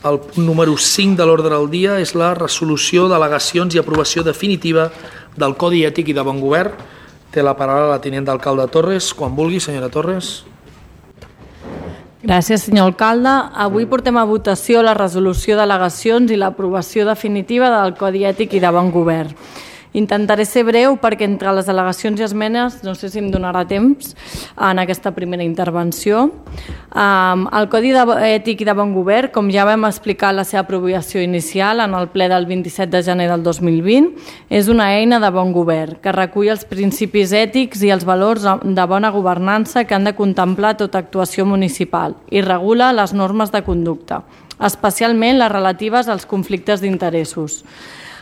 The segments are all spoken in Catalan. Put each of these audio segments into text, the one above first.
El punt número 5 de l'ordre del dia és la resolució d'al·legacions i aprovació definitiva del Codi Ètic i de Bon Govern. Té la paraula la tinent d'alcalde Torres. Quan vulgui, senyora Torres. Gràcies, senyor alcalde. Avui portem a votació la resolució d'al·legacions i l'aprovació definitiva del Codi Ètic i de Bon Govern. Intentaré ser breu perquè entre les al·legacions i esmenes no sé si em donarà temps en aquesta primera intervenció. El Codi Ètic i de Bon Govern, com ja vam explicar la seva aprovació inicial en el ple del 27 de gener del 2020, és una eina de bon govern que recull els principis ètics i els valors de bona governança que han de contemplar tota actuació municipal i regula les normes de conducta, especialment les relatives als conflictes d'interessos.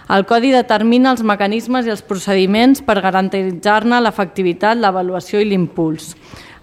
El Codi determina els mecanismes i els procediments per garantir-ne l'efectivitat, l'avaluació i l'impuls.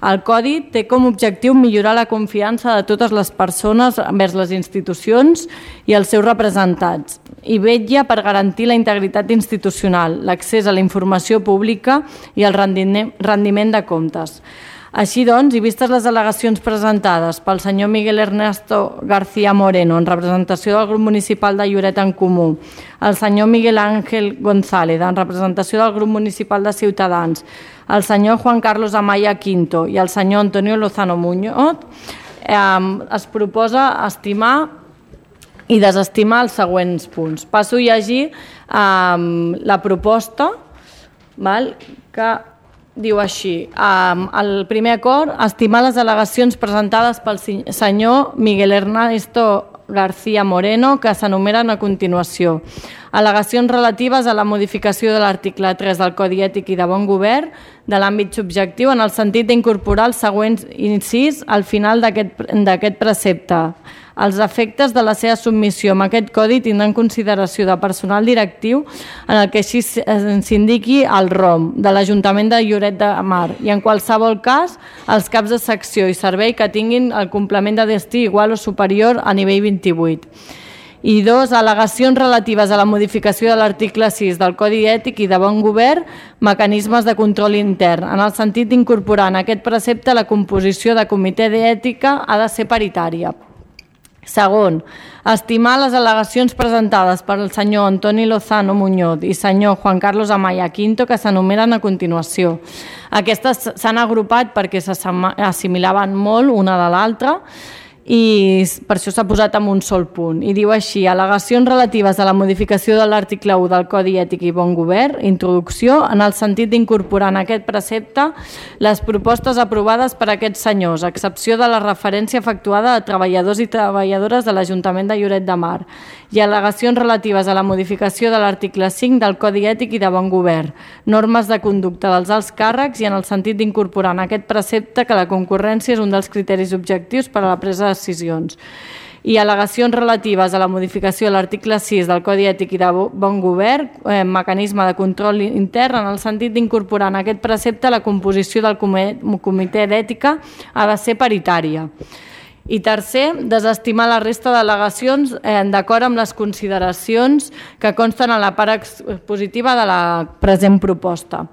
El Codi té com a objectiu millorar la confiança de totes les persones envers les institucions i els seus representats i vetlla per garantir la integritat institucional, l'accés a la informació pública i el rendiment de comptes. Així doncs, i vistes les al·legacions presentades pel senyor Miguel Ernesto García Moreno en representació del grup municipal de Lloret en Comú, el senyor Miguel Ángel González en representació del grup municipal de Ciutadans, el senyor Juan Carlos Amaya Quinto i el senyor Antonio Lozano Muñoz, es proposa estimar i desestimar els següents punts. Passo a llegir la proposta que diu així: el primer acord, estimar les al·legacions presentades pel senyor Miguel Ernesto García Moreno que s'enumeren a continuació. Al·legacions relatives a la modificació de l'article 3 del Codi Ètic i de Bon Govern de l'àmbit subjectiu en el sentit d'incorporar els següents incís al final d'aquest precepte. Els efectes de la seva submissió amb aquest codi tindran consideració de personal directiu en el que així s'indiqui el ROM de l'Ajuntament de Lloret de Mar i en qualsevol cas els caps de secció i servei que tinguin el complement de destí igual o superior a nivell 28. I dos, al·legacions relatives a la modificació de l'article 6 del Codi Ètic i de Bon Govern, mecanismes de control intern, en el sentit d'incorporar en aquest precepte la composició de comitè d'ètica ha de ser paritària. Segon, estimar les al·legacions presentades per el senyor Antonio Lozano Muñoz i senyor Juan Carlos Amaya Quinto que s'enumeren a continuació. Aquestes s'han agrupat perquè s'assimilaven molt una de l'altra i per això s'ha posat en un sol punt. I diu així: al·legacions relatives a la modificació de l'article 1 del Codi Ètic i Bon Govern, introducció, en el sentit d'incorporar en aquest precepte les propostes aprovades per aquests senyors, a excepció de la referència efectuada a treballadors i treballadores de l'Ajuntament de Lloret de Mar, i al·legacions relatives a la modificació de l'article 5 del Codi Ètic i de Bon Govern, normes de conducta dels alts càrrecs i en el sentit d'incorporar en aquest precepte que la concurrència és un dels criteris objectius per a la presa de decisions. I al·legacions relatives a la modificació de l'article 6 del Codi Ètic i de Bon Govern, mecanisme de control intern en el sentit d'incorporar en aquest precepte la composició del comitè d'ètica ha de ser paritària. I tercer, desestimar la resta d'al·legacions d'acord amb les consideracions que consten en la part expositiva de la present proposta.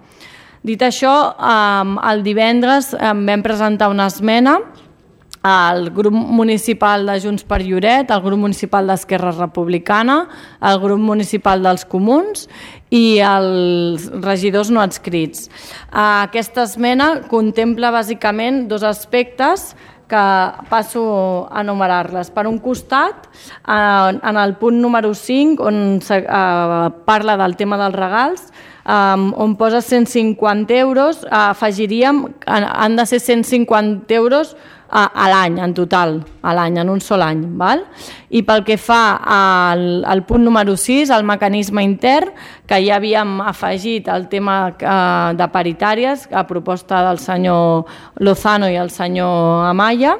Dit això, el divendres vam presentar una esmena al grup municipal de Junts per Lloret, al grup municipal d'Esquerra Republicana, al grup municipal dels Comuns i els regidors no adscrits. Aquesta esmena contempla bàsicament dos aspectes que passo a enumerar-les. Per un costat, en el punt número 5, on parla del tema dels regals, on posa 150 euros, afegiríem que han de ser 150 euros a l'any, en total, a l'any, en un sol any. I pel que fa al punt número 6, el mecanisme intern, que ja havíem afegit el tema de paritàries, a proposta del senyor Lozano i el senyor Amaya,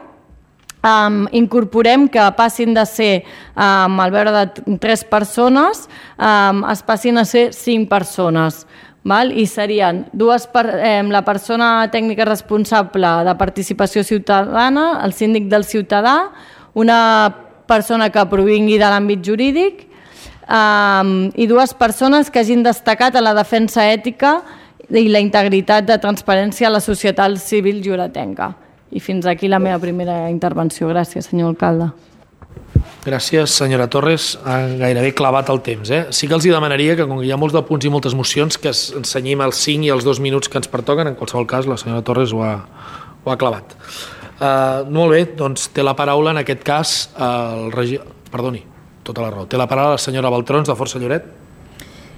incorporem que passin de ser, al veure de 3 persones, es passin a ser 5 persones. I serien la persona tècnica responsable de participació ciutadana, el síndic del ciutadà, una persona que provingui de l'àmbit jurídic i 2 persones que hagin destacat en la defensa ètica i la integritat de transparència a la societat civil lloretenca. I fins aquí la meva primera intervenció. Gràcies, senyor alcalde. Gràcies, senyora Torres. Ha gairebé clavat el temps. Sí que els demanaria que, com que hi ha molts de punts i moltes mocions, que ensenyim els 5 i els 2 minuts que ens pertoquen. En qualsevol cas, la senyora Torres ho ha clavat. Molt bé, doncs té la paraula en aquest cas el regidor... Perdoni, tota la raó. Té la paraula la senyora Baltrons, de Força Lloret.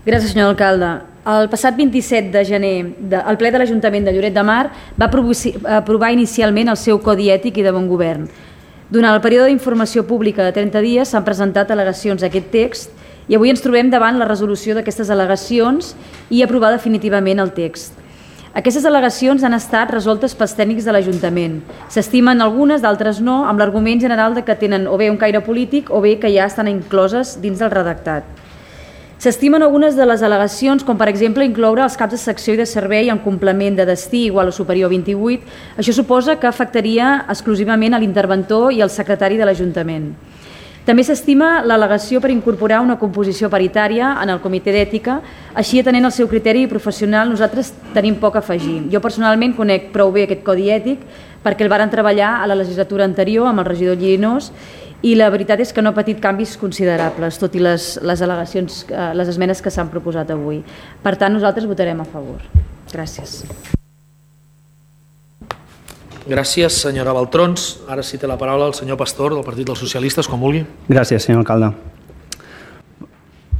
Gràcies, senyor alcalde. El passat 27 de gener, el ple de l'Ajuntament de Lloret de Mar va aprovar inicialment el seu Codi Ètic i de Bon Govern. Durant el període d'informació pública de 30 dies s'han presentat al·legacions a aquest text i avui ens trobem davant la resolució d'aquestes al·legacions i aprovar definitivament el text. Aquestes al·legacions han estat resoltes pels tècnics de l'Ajuntament. S'estimen algunes, d'altres no, amb l'argument general de que tenen o bé un caire polític o bé que ja estan incloses dins del redactat. S'estimen algunes de les al·legacions, com per exemple incloure els caps de secció i de servei en complement de destí igual o superior a 28. Això suposa que afectaria exclusivament a l'interventor i al secretari de l'Ajuntament. També s'estima l'al·legació per incorporar una composició paritària en el comitè d'ètica, així atenent el seu criteri professional nosaltres tenim poc a afegir. Jo personalment conec prou bé aquest codi ètic perquè el varen treballar a la legislatura anterior amb el regidor Llinós i la veritat és que no ha patit canvis considerables, tot i les al·legacions, les esmenes que s'han proposat avui. Per tant, nosaltres votarem a favor. Gràcies. Gràcies, senyora Baltrons. Ara sí té la paraula el senyor Pastor, del Partit dels Socialistes, quan vulgui. Gracias, señor alcalde.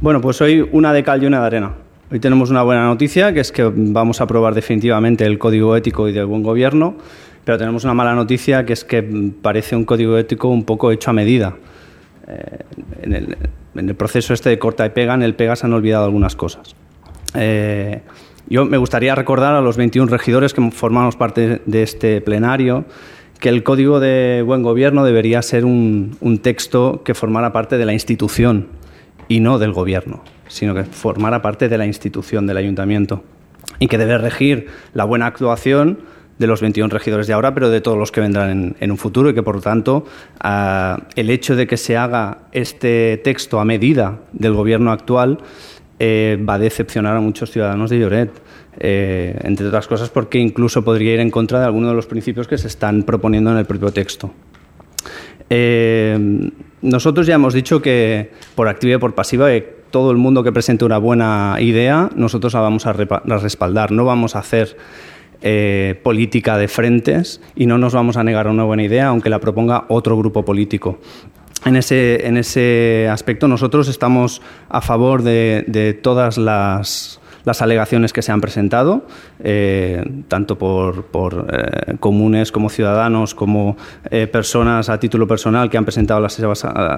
Bueno, pues hoy una de cal y una de arena. Hoy tenemos una buena noticia, que es que vamos a aprobar definitivamente el Código Ético y del Buen Gobierno, pero tenemos una mala noticia, que es que parece un código ético un poco hecho a medida. En el proceso este de corta y pega, en el pega se han olvidado algunas cosas. Yo me gustaría recordar a los 21 regidores que formamos parte de este plenario que el Código de Buen Gobierno debería ser un texto que formara parte de la institución y no del Gobierno, sino que formara parte de la institución del Ayuntamiento y que debe regir la buena actuación de los 21 regidores de ahora, pero de todos los que vendrán en un futuro, y que, por lo tanto, el hecho de que se haga este texto a medida del Gobierno actual va a decepcionar a muchos ciudadanos de Lloret, entre otras cosas porque incluso podría ir en contra de algunos de los principios que se están proponiendo en el propio texto. Nosotros ya hemos dicho que, por activa y por pasiva, todo el mundo que presente una buena idea, nosotros la vamos a respaldar. No vamos a hacer política de frentes y no nos vamos a negar a una buena idea aunque la proponga otro grupo político. En ese aspecto nosotros estamos a favor de todas las alegaciones que se han presentado, tanto por comunes como ciudadanos, como personas a título personal que han presentado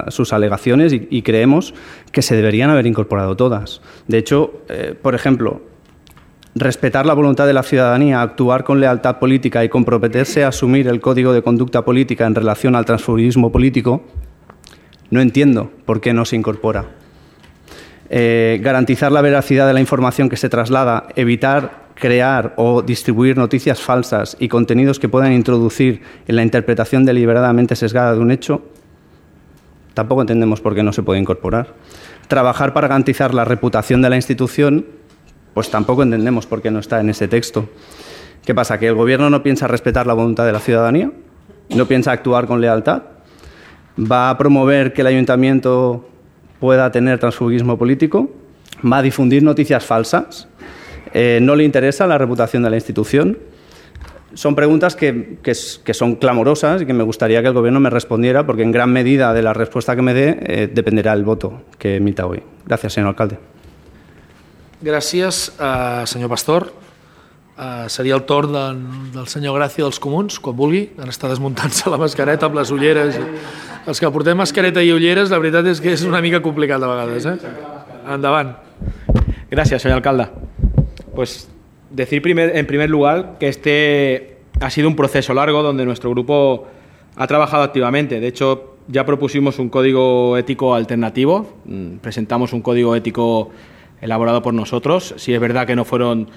sus alegaciones y creemos que se deberían haber incorporado todas. De hecho, por ejemplo, respetar la voluntad de la ciudadanía, actuar con lealtad política y comprometerse a asumir el código de conducta política en relación al transfugismo político, no entiendo por qué no se incorpora. Garantizar la veracidad de la información que se traslada, evitar crear o distribuir noticias falsas y contenidos que puedan introducir en la interpretación deliberadamente sesgada de un hecho, tampoco entendemos por qué no se puede incorporar. Trabajar para garantizar la reputación de la institución, pues tampoco entendemos por qué no está en ese texto. ¿Qué pasa? ¿Que el Gobierno no piensa respetar la voluntad de la ciudadanía? ¿No piensa actuar con lealtad? ¿Va a promover que el Ayuntamiento pueda tener transfugismo político? ¿Va a difundir noticias falsas? ¿No le interesa la reputación de la institución? Son preguntas que son clamorosas y que me gustaría que el Gobierno me respondiera, porque en gran medida de la respuesta que me dé dependerá el voto que emita hoy. Gracias, señor alcalde. Gràcies, senyor Pastor. Seria el torn del senyor Gràcia dels Comuns, quan vulgui. Ara està desmuntant-se la mascareta amb les ulleres. Els que portem mascareta i ulleres, la veritat és que és una mica complicat de vegades. Endavant. Gracias, señor alcalde. Pues decir en primer lugar que este ha sido un proceso largo donde nuestro grupo ha trabajado activamente. De hecho, ya propusimos un código ético alternativo. Presentamos un código ético elaborado por nosotros. Sí es verdad que no fueron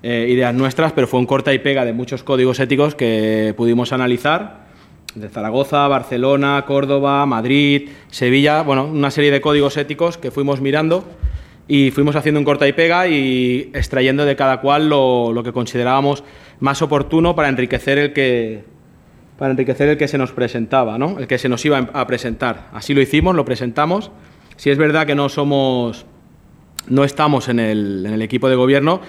ideas nuestras, pero fue un corta y pega de muchos códigos éticos que pudimos analizar, de Zaragoza, Barcelona, Córdoba, Madrid, Sevilla, bueno, una serie de códigos éticos que fuimos mirando y fuimos haciendo un corta y pega y extrayendo de cada cual lo que considerábamos más oportuno para enriquecer para enriquecer el que se nos presentaba, ¿no? El que se nos iba a presentar. Así lo hicimos, lo presentamos. Si es verdad que no estamos en el equipo de gobierno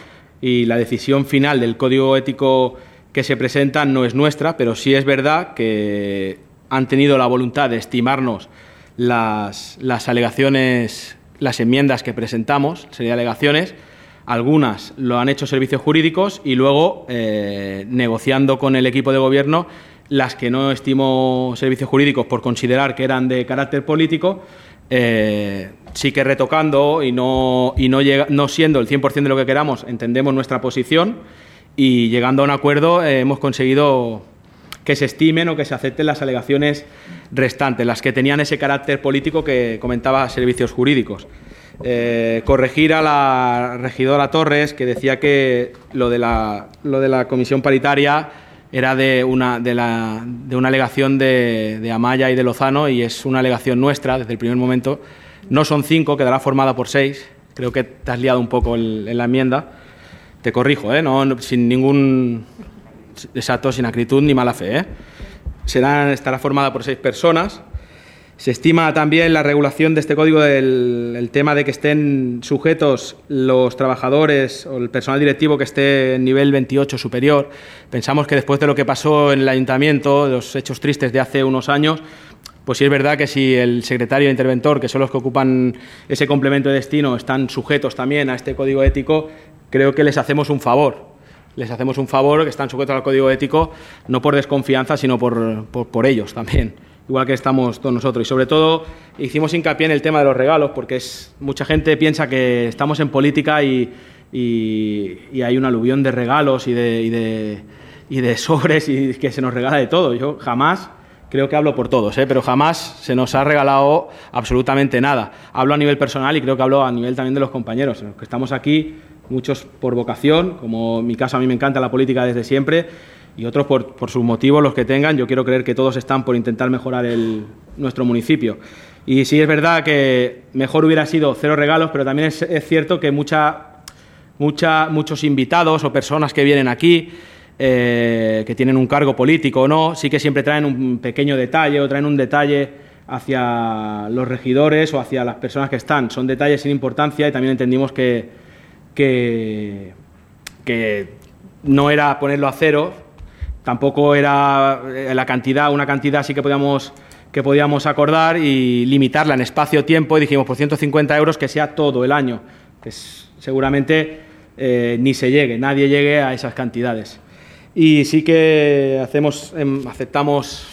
y la decisión final del código ético que se presenta no es nuestra, pero sí es verdad que han tenido la voluntad de estimarnos las alegaciones, las enmiendas que presentamos, serie de alegaciones. Algunas lo han hecho servicios jurídicos y luego, negociando con el equipo de gobierno, las que no estimó servicios jurídicos por considerar que eran de carácter político, sí que retocando y no siendo el 100% de lo que queramos, entendemos nuestra posición y llegando a un acuerdo hemos conseguido que se estimen o que se acepten las alegaciones restantes, las que tenían ese carácter político que comentaba servicios jurídicos. Corregir a la regidora Torres, que decía que lo de la comisión paritaria era de una alegación de Amaya y de Lozano, y es una alegación nuestra desde el primer momento. No son 5, quedará formada por 6. Creo que te has liado un poco en la enmienda. Te corrijo, no, sin ningún... Exacto, sin acritud ni mala fe. Estará formada por 6 personas. Se estima también la regulación de este código el tema de que estén sujetos los trabajadores o el personal directivo que esté en nivel 28 superior. Pensamos que después de lo que pasó en el ayuntamiento, de los hechos tristes de hace unos años, pues sí es verdad que si el secretario e interventor, que son los que ocupan ese complemento de destino, están sujetos también a este código ético, creo que les hacemos un favor. Les hacemos un favor, que están sujetos al código ético, no por desconfianza, sino por ellos también, igual que estamos todos nosotros. Y sobre todo hicimos hincapié en el tema de los regalos, porque mucha gente piensa que estamos en política y hay un aluvión de regalos y de sobres y que se nos regala de todo. Yo jamás, creo que hablo por todos, pero jamás se nos ha regalado absolutamente nada. Hablo a nivel personal y creo que hablo a nivel también de los compañeros, los que estamos aquí, muchos por vocación, como en mi caso a mí me encanta la política desde siempre, y otros por sus motivos, los que tengan. Yo quiero creer que todos están por intentar mejorar nuestro municipio. Y sí es verdad que mejor hubiera sido 0 regalos, pero también es cierto que muchos invitados o personas que vienen aquí, que tienen un cargo político o no, sí que siempre traen un pequeño detalle o traen un detalle hacia los regidores o hacia las personas que están. Son detalles sin importancia y también entendimos que no era ponerlo a 0, tampoco era una cantidad sí que podíamos acordar y limitarla en espacio-tiempo, y dijimos por 150 euros que sea todo el año, que seguramente nadie llegue a esas cantidades. Y sí que aceptamos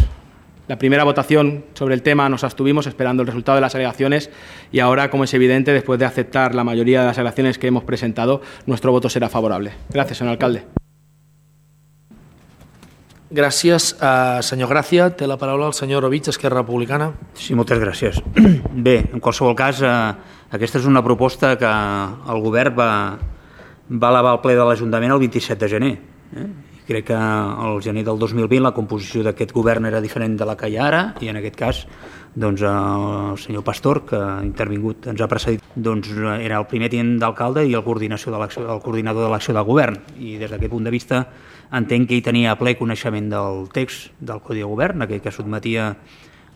la primera votación sobre el tema, nos abstuvimos esperando el resultado de las alegaciones, y ahora, como es evidente, después de aceptar la mayoría de las alegaciones que hemos presentado, nuestro voto será favorable. Gracias, señor alcalde. Gràcies. Senyor Gràcia, té la paraula el senyor Ovich, Esquerra Republicana. Sí, moltes gràcies. Bé, en qualsevol cas, aquesta és una proposta que el govern va elevar al ple de l'Ajuntament el 27 de gener. Crec que al gener del 2020 la composició d'aquest govern era diferent de la que hi ha ara, i en aquest cas doncs, el senyor Pastor, que ha intervingut, ens ha precedit, doncs, era el primer tinent d'alcalde i el coordinador de l'acció de govern, i des d'aquest punt de vista entenc que ell tenia ple coneixement del text del Codi de Govern, aquell que sotmetia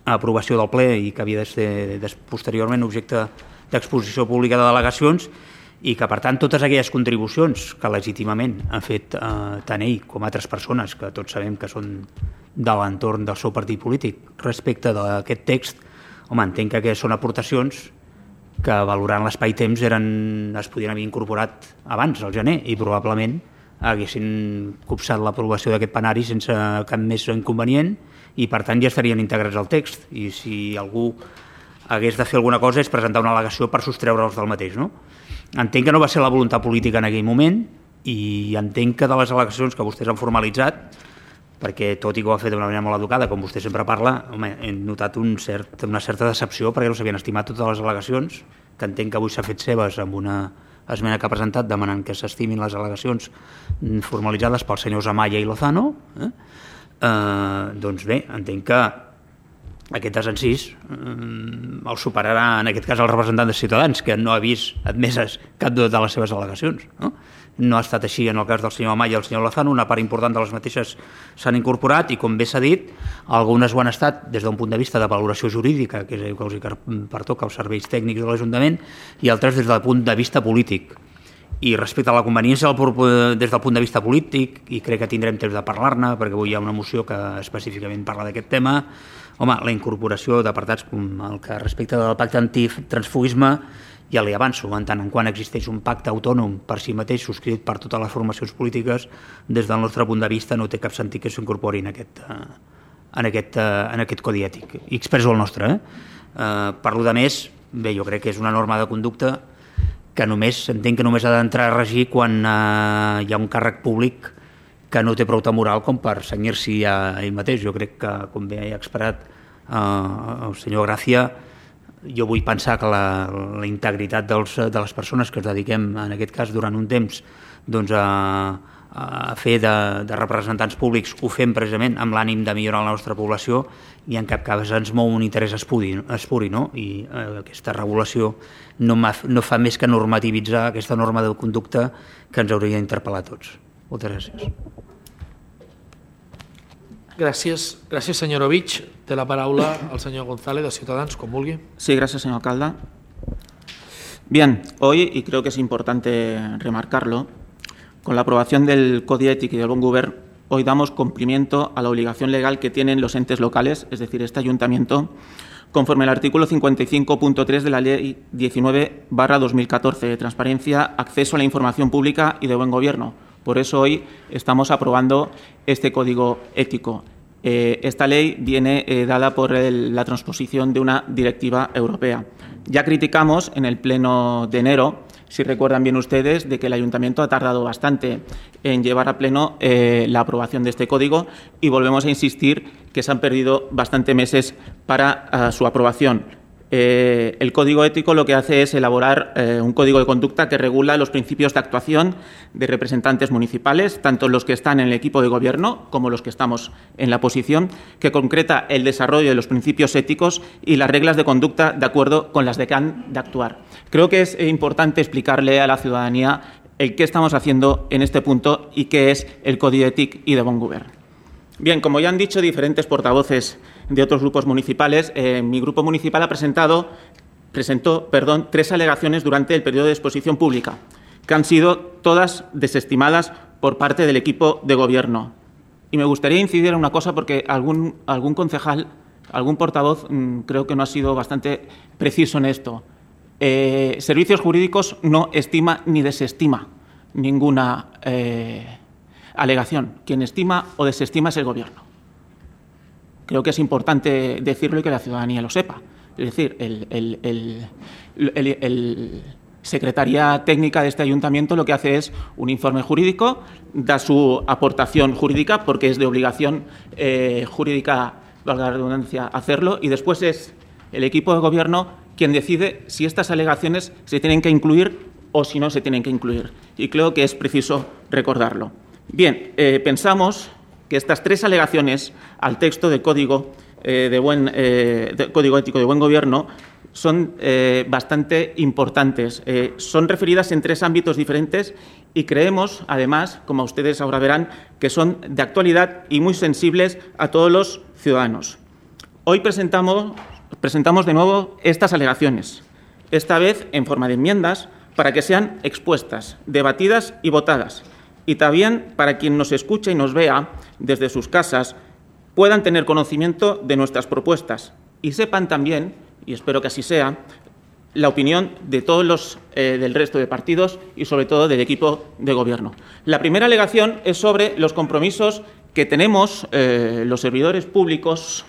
a aprovació del ple i que havia de ser posteriorment objecte d'exposició pública de delegacions, i que, per tant, totes aquelles contribucions que legítimament han fet tant ell com altres persones, que tots sabem que són de l'entorn del seu partit polític, respecte d'aquest text, home, entenc que aquestes són aportacions que, valorant l'espai-temps, es podien haver incorporat abans, al gener, i probablement haguessin copsat l'aprovació d'aquest plenari sense cap més inconvenient, i, per tant, ja estarien integrats al text. I si algú hagués de fer alguna cosa és presentar una al·legació per sostreure'ls del mateix, no? Entenc que no va ser la voluntat política en aquell moment, i entenc que de les al·legacions que vostès han formalitzat, perquè tot i que ho ha fet d'una manera molt educada, com vostè sempre parla, home, he notat una certa decepció perquè no s'havien estimat totes les al·legacions, que entenc que avui s'ha fet seves amb una esmena que ha presentat demanant que s'estimin les al·legacions formalitzades pels senyors Amaya i Lozano. Doncs bé, entenc que aquest desencís el superarà, en aquest cas, el representant de Ciutadans, que no ha vist admeses cap de les seves al·legacions. No ha estat així en el cas del senyor Amaya i el senyor Lozano, una part important de les mateixes s'han incorporat i, com bé s'ha dit, algunes ho han estat des d'un punt de vista de valoració jurídica, que és el que els pertoca als serveis tècnics de l'Ajuntament, i altres des del punt de vista polític. I respecte a la conveniència des del punt de vista polític, i crec que tindrem temps de parlar-ne, perquè avui hi ha una moció que específicament parla d'aquest tema, home, la incorporació d'apartats com el que respecte del pacte antitransfugisme, ja li avanço, en tant en quant existeix un pacte autònom per si mateix subscrit per totes les formacions polítiques, des del nostre punt de vista no té cap sentit que s'incorpori en aquest codi ètic. I expresso el nostre. Per lo de més, bé, jo crec que és una norma de conducta que entenc que només ha d'entrar a regir quan hi ha un càrrec públic que no té prou moral com per cenyir-s'hi a ell mateix. Jo crec que, com bé ha expressat el senyor Gràcia, jo vull pensar que la integritat de les persones que es dediquem, en aquest cas, durant un temps, doncs, a fer de representants públics, ho fem precisament amb l'ànim de millorar la nostra població i en cap cas ens mou un interès espuri, no? I aquesta regulació no fa més que normativitzar aquesta norma de conducta que ens hauria d'interpel·lar a tots. Moltes gràcies. Gràcies, senyor Ovich. Té la paraula el señor González, de Ciudadanos, con vulgui. Sí, gracias, señor alcalde. Bien, hoy, y creo que es importante remarcarlo, con la aprobación del Codi Ètic y del Bon Govern, hoy damos cumplimiento a la obligación legal que tienen los entes locales, es decir, este ayuntamiento, conforme al artículo 55.3 de la Ley 19/2014 de Transparencia, Acceso a la Información Pública y de Buen Gobierno. Por eso hoy estamos aprobando este código ético. Esta ley viene dada por la transposición de una directiva europea. Ya criticamos en el pleno de enero, si recuerdan bien ustedes, de que el ayuntamiento ha tardado bastante en llevar a pleno la aprobación de este código y volvemos a insistir que se han perdido bastantes meses para su aprobación. El código ético lo que hace es elaborar un código de conducta que regula los principios de actuación de representantes municipales, tanto los que están en el equipo de gobierno como los que estamos en la oposición, que concreta el desarrollo de los principios éticos y las reglas de conducta de acuerdo con las de que han de actuar. Creo que es importante explicarle a la ciudadanía el qué estamos haciendo en este punto y qué es el Codi Ètic y de Bon Govern. Bien, como ya han dicho diferentes portavoces de otros grupos municipales, mi grupo municipal presentó 3 alegaciones durante el periodo de exposición pública, que han sido todas desestimadas por parte del equipo de gobierno. Y me gustaría incidir en una cosa porque algún concejal, algún portavoz, creo que no ha sido bastante preciso en esto. Servicios Jurídicos no estima ni desestima ninguna alegación. Quien estima o desestima es el Gobierno. Creo que es importante decirlo y que la ciudadanía lo sepa. Es decir, el Secretaría Técnica de este ayuntamiento lo que hace es un informe jurídico, da su aportación jurídica porque es de obligación jurídica, valga la redundancia, hacerlo, y después es el equipo de Gobierno quien decide si estas alegaciones se tienen que incluir o si no se tienen que incluir. Y creo que es preciso recordarlo. Bien, pensamos que estas 3 alegaciones al texto del Código Código Ético de Buen Gobierno son bastante importantes. Son referidas en 3 ámbitos diferentes y creemos, además, como ustedes ahora verán, que son de actualidad y muy sensibles a todos los ciudadanos. Hoy presentamos de nuevo estas alegaciones, esta vez en forma de enmiendas, para que sean expuestas, debatidas y votadas. Y también para quien nos escuche y nos vea desde sus casas puedan tener conocimiento de nuestras propuestas y sepan también, y espero que así sea, la opinión de todos los del resto de partidos y sobre todo del equipo de Gobierno. La primera alegación es sobre los compromisos que tenemos los servidores públicos,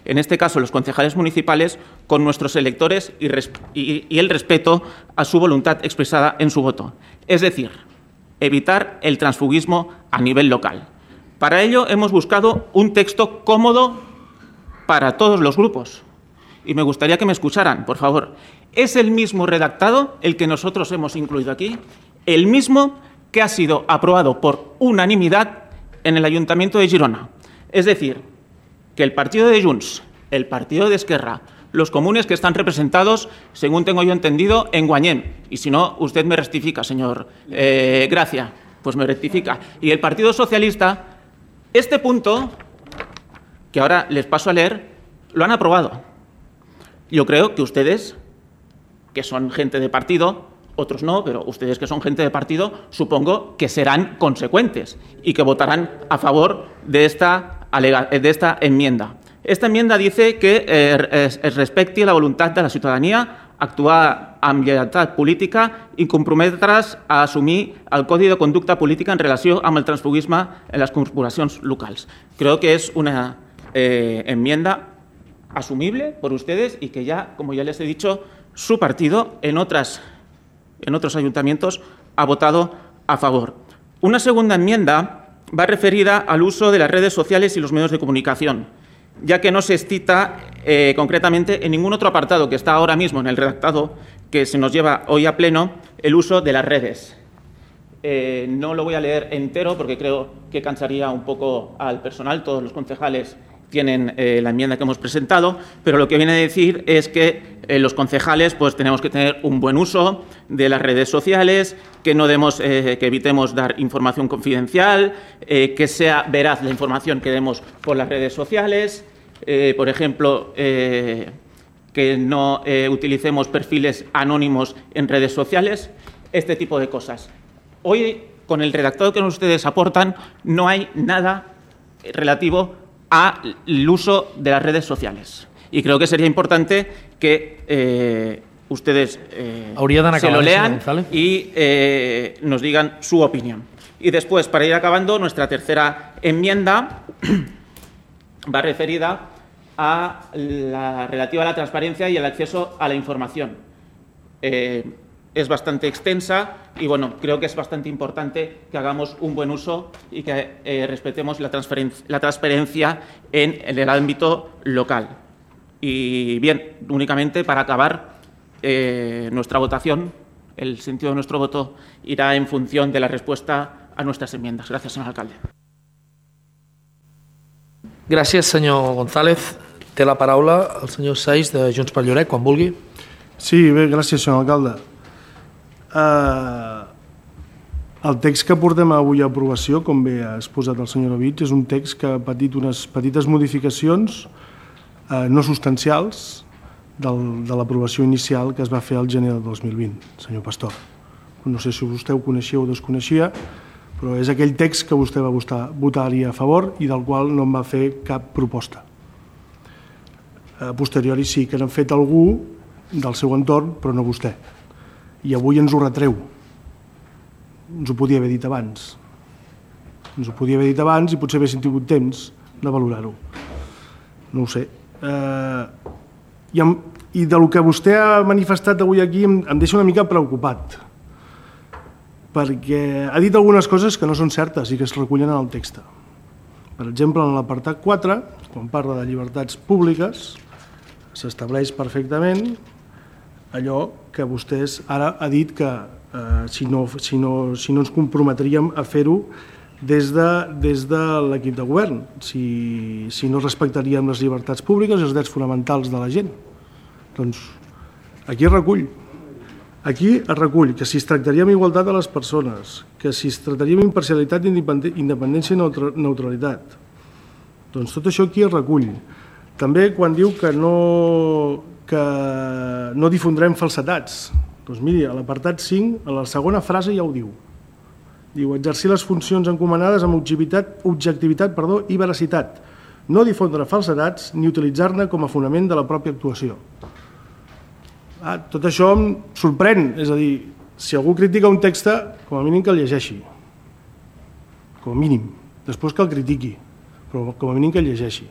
en este caso los concejales municipales, con nuestros electores y el respeto a su voluntad expresada en su voto. Es decir, evitar el transfugismo a nivel local. Para ello hemos buscado un texto cómodo para todos los grupos. Y me gustaría que me escucharan, por favor. Es el mismo redactado el que nosotros hemos incluido aquí, el mismo que ha sido aprobado por unanimidad en el Ayuntamiento de Girona. Es decir, que el partido de Junts el partido de Esquerra, los comunes que están representados, según tengo yo entendido, en Guanyem. Y si no, usted me rectifica, señor Gracia, pues me rectifica. Y el Partido Socialista, este punto, que ahora les paso a leer, lo han aprobado. Yo creo que ustedes, que son gente de partido, otros no, pero ustedes que son gente de partido, supongo que serán consecuentes y que votarán a favor de esta enmienda. Esta enmienda dice que es respecti la voluntat de la ciutadania actuar amb lleialtat política i comprometre's a assumir el codi de conducta política en relació amb el transfugisme en les corporacions locals. Creo que es una enmienda asumible por ustedes y que ya, como ya les he dicho, su partido en otros ayuntamientos ha votado a favor. Una segunda enmienda va referida al uso de las redes sociales y los medios de comunicación, ya que no se cita concretamente en ningún otro apartado que está ahora mismo en el redactado que se nos lleva hoy a pleno el uso de las redes. No lo voy a leer entero porque creo que cansaría un poco al personal. Todos los concejales tienen la enmienda que hemos presentado, pero lo que viene a decir es que los concejales pues tenemos que tener un buen uso de las redes sociales, que no demos, que evitemos dar información confidencial, que sea veraz la información que demos por las redes sociales, por ejemplo, que no utilicemos perfiles anónimos en redes sociales, este tipo de cosas. Hoy, con el redactado que ustedes aportan, no hay nada relativo al uso de las redes sociales. Y creo que sería importante que ustedes se lo lean y nos digan su opinión. Y después, para ir acabando, nuestra tercera enmienda va referida a la relativa a la transparencia y el acceso a la información. Es bastante extensa y, bueno, creo que es bastante importante que hagamos un buen uso y que respetemos la transparencia en el ámbito local. Y bien, únicamente para acabar, nuestra votación, el sentido de nuestro voto irá en función de la respuesta a nuestras enmiendas. Gracias, señor alcalde. Gràcies, senyor González. Té la paraula el senyor Saiz de Junts per Lloret, quan vulgui. Sí, bé, gràcies, senyor alcalde. El text que portem avui a aprovació, com bé ha exposat el senyor Ovich, és un text que ha patit unes petites modificacions no substancials de l'aprovació inicial que es va fer al gener del 2020, senyor Pastor. No sé si vostè ho coneixia o desconeixia, però és aquell text que vostè va votar-hi a favor i del qual no en va fer cap proposta. A posteriori sí que n'ha fet algú del seu entorn, però no vostè. I avui ens ho retreu. Ens ho podia haver dit abans. Ens ho podia haver dit abans i potser haguéssim tingut temps de valorar-ho. No ho sé. I del que vostè ha manifestat avui aquí em deixa una mica preocupat, perquè ha dit algunes coses que no són certes i que es recullen en el text. Per exemple, en l'apartat 4, quan parla de llibertats públiques, s'estableix perfectament allò que vostès ara ha dit que si no ens comprometríem a fer-ho des de l'equip de govern, si no respectaríem les llibertats públiques i els drets fonamentals de la gent. Doncs aquí es recull. Aquí es recull que si es tractaria amb igualtat a les persones, que si es tractaria amb imparcialitat, independència i neutralitat. Doncs tot això aquí es recull. També quan diu que no difondrem falsetats. Doncs miri, a l'apartat 5, a la segona frase ja ho diu. Diu, exercir les funcions encomanades amb objectivitat i veracitat. No difondre falsedats ni utilitzar-ne com a fonament de la pròpia actuació. Tot això em sorprèn. És a dir, si algú critica un text, com a mínim que el llegeixi. Com a mínim. Després que el critiqui, però com a mínim que el llegeixi.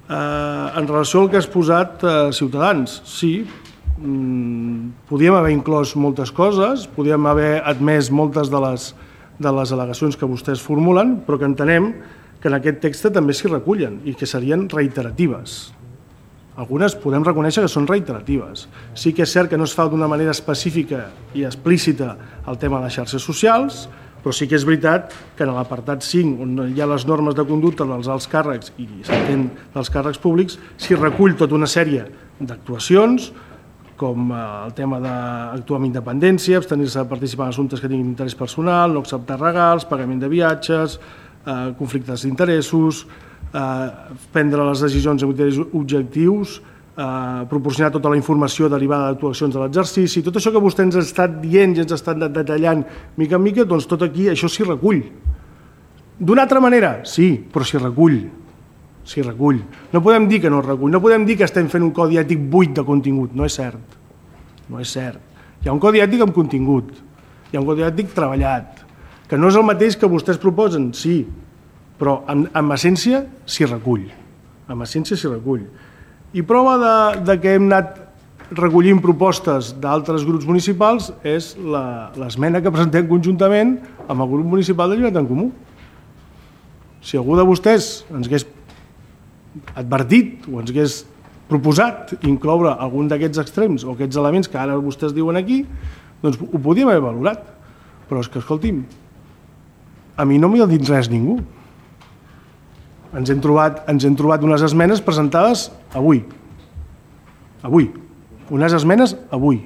En relació al que has posat Ciutadans, sí, podíem haver inclòs moltes coses, podíem haver admès moltes de les al·legacions que vostès formulen, però que entenem que en aquest text també s'hi recullen i que serien reiteratives. Algunes podem reconèixer que són reiteratives. Sí que és cert que no es fa d'una manera específica i explícita el tema de les xarxes socials, però Però sí que és veritat que en l'apartat 5, on hi ha les normes de conducta dels alts càrrecs i s'entén dels càrrecs públics, s'hi recull tota una sèrie d'actuacions, com el tema d'actuar amb independència, abstenir-se de participar en assumptes que tinguin interès personal, no acceptar regals, pagament de viatges, conflictes d'interessos, prendre les decisions amb criteris objectius, proporcionar tota la informació derivada d'actuacions de l'exercici, tot això que vostè ens ha estat dient i ens ha estat detallant mica en mica, doncs tot aquí això s'hi recull. D'una altra manera, sí, però s'hi recull. S'hi recull. No podem dir que no es recull, no podem dir que estem fent un codi ètic buit de contingut, no és cert. No és cert. Hi ha un codi ètic amb contingut, hi ha un codi ètic treballat, que no és el mateix que vostès proposen, sí, però en essència s'hi recull. En essència s'hi recull. I prova de que hem anat recollint propostes d'altres grups municipals és l'esmena que presentem conjuntament amb el grup municipal de Llibertat en Comú. Si algú de vostès ens hagués advertit o ens hagués proposat incloure algun d'aquests extrems o aquests elements que ara vostès diuen aquí, doncs ho podíem haver valorat. Però és que, escolti'm, a mi no m'hi ha dit res ningú. Ens hem trobat unes esmenes presentades avui. Avui. Unes esmenes avui.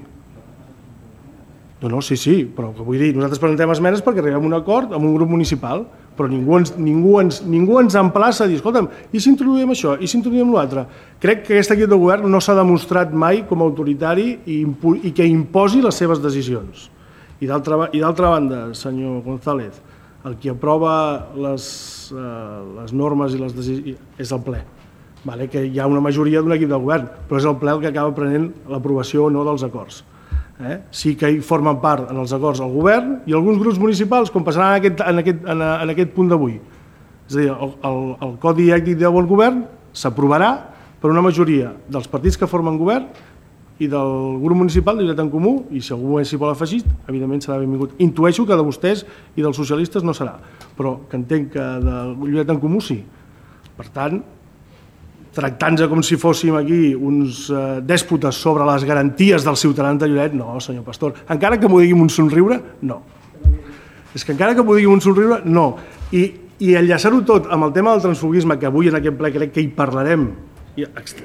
No, sí, però vull dir, nosaltres presentem esmenes perquè arribem a un acord amb un grup municipal, però ningú ens emplaça a dir, escolta'm, i si introduïm això, i si introduïm l'altre? Crec que aquest equip de govern no s'ha demostrat mai com a autoritari i que imposi les seves decisions. I d'altra banda, senyor González, el qui aprova les normes i les decisions és el ple. Que hi ha una majoria d'un equip de govern, però és el ple el que acaba prenent l'aprovació o no dels acords. Sí que hi formen part en els acords el govern i alguns grups municipals, com passarà en aquest punt d'avui. És a dir, el Codi Ètic de Bon Govern s'aprovarà per una majoria dels partits que formen govern i del grup municipal de Llibertat en Comú, i si algú s'hi vol afegir, evidentment serà benvingut. Intueixo que de vostès i dels socialistes no serà, però que entenc que de Llibertat en Comú sí. Per tant, tractant-se com si fóssim aquí uns dèspotes sobre les garanties dels ciutadans de Lloret, no, senyor Pastor. Encara que m'ho digui amb un somriure, no. És que encara que m'ho digui amb un somriure, no. I enllaçar-ho tot amb el tema del transfugisme, que avui en aquest ple crec que hi parlarem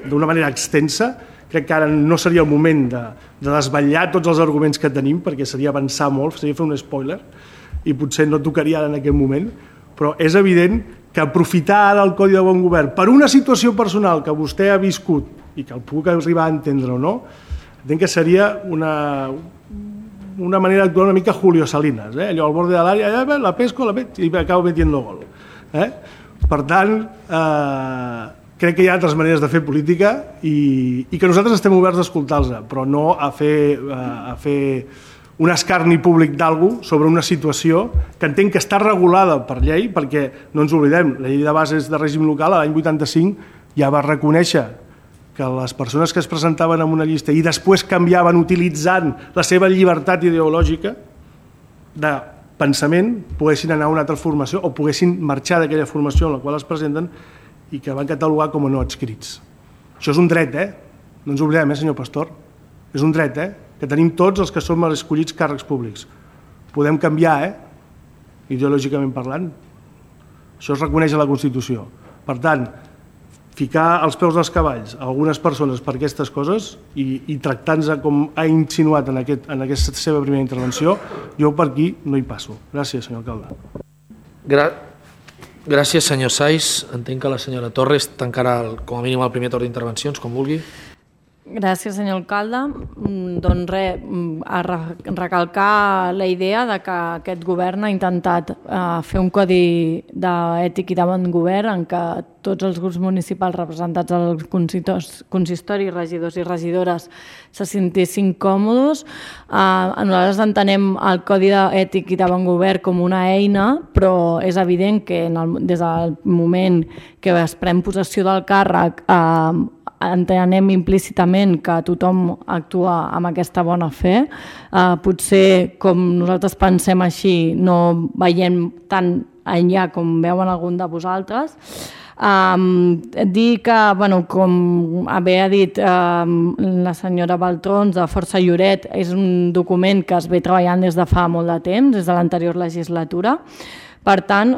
d'una manera extensa, crec que ara no seria el moment de desvetllar tots els arguments que tenim, perquè seria avançar molt, seria fer un spoiler, i potser no tocaria ara en aquest moment, però és evident que aprofitar ara el Codi de Bon Govern per una situació personal que vostè ha viscut i que el puc arribar a entendre o no, entenc que seria una manera d'actuar una mica Julio Salinas, allò al borde de l'àrea, la pesco, i acabo metiendo gol. Per tant, crec que hi ha altres maneres de fer política i que nosaltres estem oberts a escoltar-los, però no a fer un escarni públic d'algú sobre una situació que entenc que està regulada per llei, perquè no ens oblidem, la llei de bases de règim local l'any 85 ja va reconèixer que les persones que es presentaven en una llista i després canviaven utilitzant la seva llibertat ideològica de pensament poguessin anar a una altra formació o poguessin marxar d'aquella formació en la qual es presenten i que van catalogar com a no adscrits. Això és un dret, no ens oblidem, senyor Pastor, és un dret, que tenim tots els que som escollits càrrecs públics. Podem canviar, ideològicament parlant. Això es reconeix a la Constitució. Per tant, ficar els peus dels cavalls a algunes persones per aquestes coses i tractant-se com ha insinuat en aquesta seva primera intervenció, jo per aquí no hi passo. Gràcies, senyor alcalde. Gràcies, senyor Saiz. Entenc que la senyora Torres tancarà com a mínim el primer torn d'intervencions, com vulgui. Gràcies, senyor alcalde. Doncs res, a recalcar la idea de que aquest govern ha intentat fer un codi d'ètic i de bon govern en què tots els grups municipals representats al consistori, regidors i regidores, se sentessin còmodes. Nosaltres entenem el codi d'ètic i de bon govern com una eina, però és evident que des del moment que es pren possessió del càrrec entenem implícitament que tothom actua amb aquesta bona fe. Potser, com nosaltres pensem així, no veiem tan enllà com veuen algun de vosaltres. Dir que, com bé ha dit la senyora Baltrons, de Força Lloret, és un document que es ve treballant des de fa molt de temps, des de l'anterior legislatura. Per tant,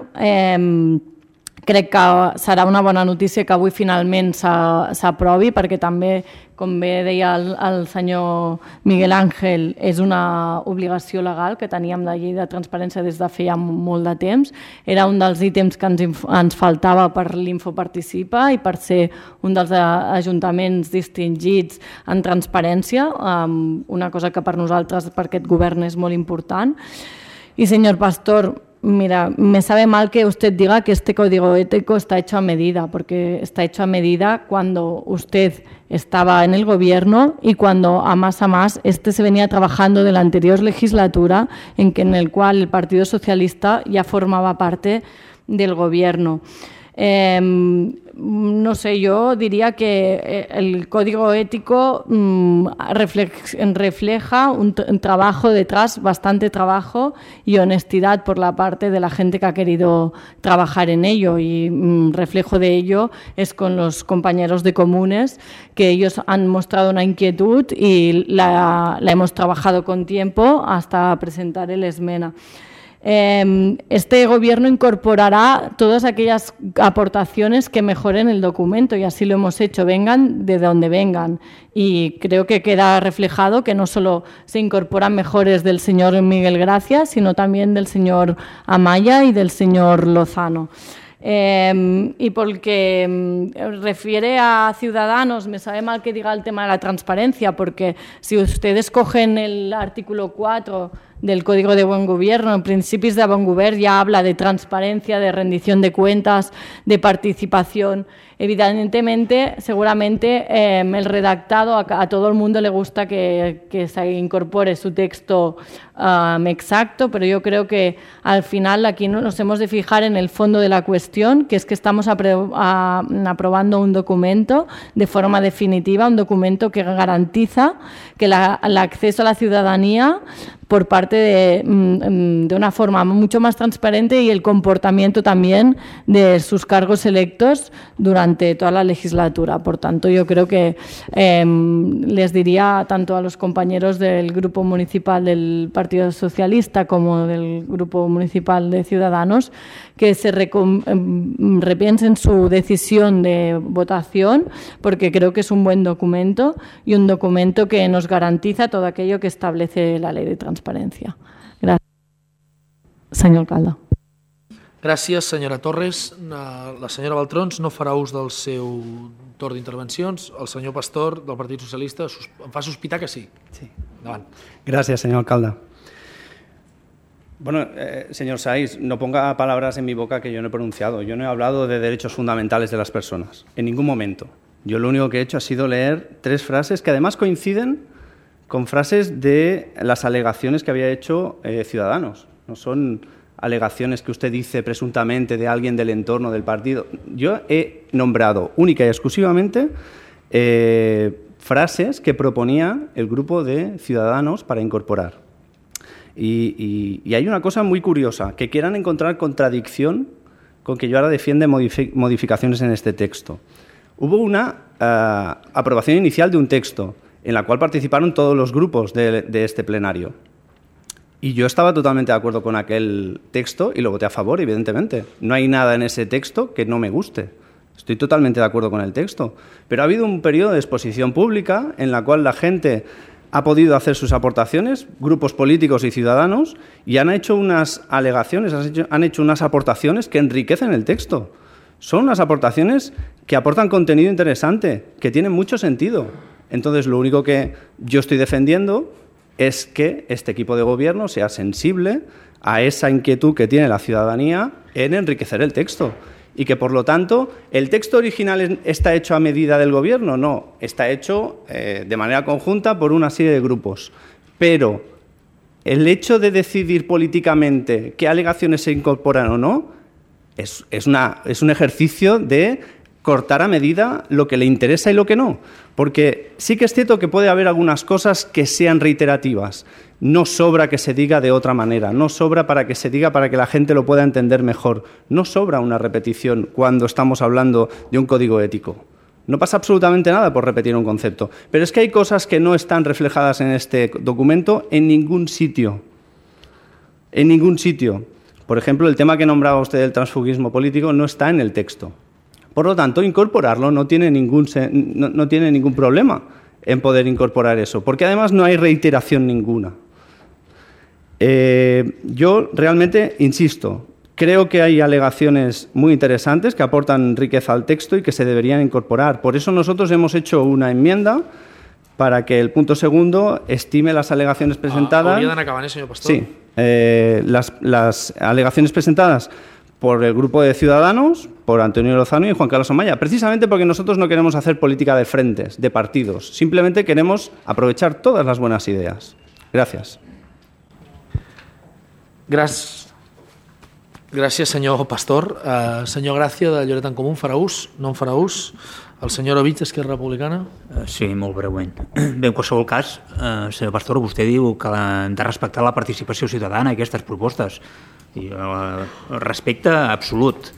crec que serà una bona notícia que avui finalment s'aprovi, perquè també, com bé deia el senyor Miguel Ángel, és una obligació legal que teníem la llei de transparència des de feia molt de temps. Era un dels ítems que ens faltava per l'Infoparticipa i per ser un dels ajuntaments distingits en transparència, una cosa que per nosaltres, per aquest govern, és molt important. Y señor Pastor, mira, me sabe mal que usted diga que este código ético está hecho a medida, porque está hecho a medida cuando usted estaba en el gobierno y cuando a más se venía trabajando de la anterior legislatura en el cual el Partido Socialista ya formaba parte del gobierno. No sé, yo diría que el código ético refleja un trabajo detrás, bastante trabajo y honestidad por la parte de la gente que ha querido trabajar en ello, y reflejo de ello es con los compañeros de comunes, que ellos han mostrado una inquietud y la hemos trabajado con tiempo hasta presentar el esmena. Este gobierno incorporará todas aquellas aportaciones que mejoren el documento, y así lo hemos hecho, vengan de donde vengan, y creo que queda reflejado que no solo se incorporan mejores del señor Miguel Gracia, sino también del señor Amaya y del señor Lozano. Y porque refiere a Ciudadanos, me sabe mal que diga el tema de la transparencia, porque si ustedes cogen el artículo 4 del Código de Buen Gobierno, en Principis de Bon Govern, ya habla de transparencia, de rendición de cuentas, de participación. Evidentemente, seguramente el redactado, a todo el mundo le gusta que se incorpore su texto exacto, pero yo creo que al final aquí nos hemos de fijar en el fondo de la cuestión, que es que estamos aprobando un documento de forma definitiva, un documento que garantiza que el acceso a la ciudadanía por parte de una forma mucho más transparente, y el comportamiento también de sus cargos electos durante toda la legislatura. Por tanto, yo creo que les diría tanto a los compañeros del Grupo Municipal del Partido Socialista como del Grupo Municipal de Ciudadanos que se repiensen su decisión de votación, porque creo que es un buen documento y un documento que nos garantiza todo aquello que establece la Ley de Transparencia. Gràcies. Senyor alcalde. Gràcies, senyora Torres. La senyora Baltrons no farà ús del seu torn d'intervencions. El senyor Pastor, del Partit Socialista, em fa sospitar que sí. Sí. Endavant. Gracias, señor alcalde. Bueno, señor Saiz, no ponga palabras en mi boca que yo no he pronunciado. Yo no he hablado de derechos fundamentales de las personas, en ningún momento. Yo lo único que he hecho ha sido leer 3 frases que además coinciden con frases de las alegaciones que había hecho Ciudadanos. No son alegaciones que usted dice presuntamente de alguien del entorno del partido. Yo he nombrado única y exclusivamente frases que proponía el grupo de Ciudadanos para incorporar. Y hay una cosa muy curiosa, que quieran encontrar contradicción con que yo ahora defiende modificaciones en este texto. Hubo una aprobación inicial de un texto en la cual participaron todos los grupos de este plenario. Y yo estaba totalmente de acuerdo con aquel texto y lo voté a favor, evidentemente. No hay nada en ese texto que no me guste. Estoy totalmente de acuerdo con el texto. Pero ha habido un periodo de exposición pública en la cual la gente ha podido hacer sus aportaciones, grupos políticos y ciudadanos, y han hecho unas alegaciones, han hecho unas aportaciones que enriquecen el texto. Son unas aportaciones que aportan contenido interesante, que tienen mucho sentido. Entonces, lo único que yo estoy defendiendo es que este equipo de gobierno sea sensible a esa inquietud que tiene la ciudadanía en enriquecer el texto. Y que, por lo tanto, ¿el texto original está hecho a medida del Gobierno? No, está hecho de manera conjunta por una serie de grupos. Pero el hecho de decidir políticamente qué alegaciones se incorporan o no es un ejercicio de cortar a medida lo que le interesa y lo que no. Porque sí que es cierto que puede haber algunas cosas que sean reiterativas. No sobra que se diga de otra manera, no sobra para que se diga para que la gente lo pueda entender mejor. No sobra una repetición cuando estamos hablando de un código ético. No pasa absolutamente nada por repetir un concepto. Pero es que hay cosas que no están reflejadas en este documento en ningún sitio. En ningún sitio. Por ejemplo, el tema que nombraba usted del transfugismo político no está en el texto. Por lo tanto, incorporarlo no tiene ningún problema en poder incorporar eso, porque además no hay reiteración ninguna. Yo realmente, insisto, creo que hay alegaciones muy interesantes que aportan riqueza al texto y que se deberían incorporar. Por eso nosotros hemos hecho una enmienda para que el punto segundo estime las alegaciones presentadas. Hauria d'anar acabant, senyor Pastor. Sí, las alegaciones presentadas por el grupo de Ciudadanos, por Antonio Lozano y Juan Carlos Amaya, precisamente porque nosotros no queremos hacer política de frentes, de partidos, simplemente queremos aprovechar todas las buenas ideas. Gràcies. Gràcies, senyor Pastor. Senyor Gràcia, de Lloret en Comú, farà ús? No en farà ús? El senyor Ovich, d'Esquerra Republicana? Sí, molt breument. Bé, en qualsevol cas, senyor Pastor, vostè diu que hem de respectar la participació ciutadana i aquestes propostes. I respecte absolut,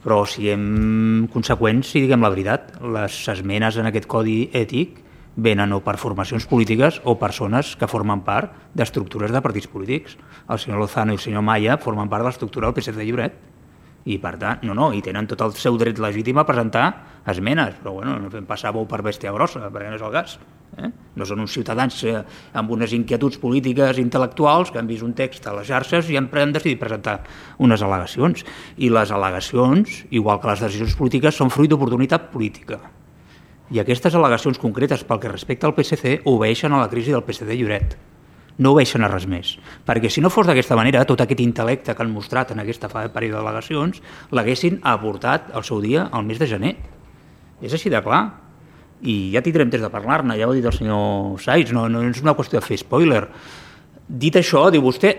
però siguem conseqüents i diguem la veritat. Les esmenes en aquest codi ètic venen o per formacions polítiques o persones que formen part d'estructures de partits polítics. El senyor Lozano i el senyor Maya formen part de l'estructura del PSC de Lloret i per tant, i tenen tot el seu dret legítim a presentar esmenes, però bueno, no fem passar bou per bèstia grossa, perquè no és el cas. No són uns ciutadans amb unes inquietuds polítiques intel·lectuals que han vist un text a les xarxes i han decidit presentar unes al·legacions. I les al·legacions, igual que les decisions polítiques, són fruit d'oportunitat política. I aquestes al·legacions concretes pel que respecta al PSC obeeixen a la crisi del PSC de Lloret. No obeeixen a res més. Perquè si no fos d'aquesta manera, tot aquest intel·lecte que han mostrat en aquesta període d'al·legacions l'haguessin aportat al seu dia al mes de gener. És així de clar. I ja tindrem temps de parlar-ne, ja ho ha dit el senyor Saiz, no és una qüestió de fer spoiler. Dit això, diu vostè,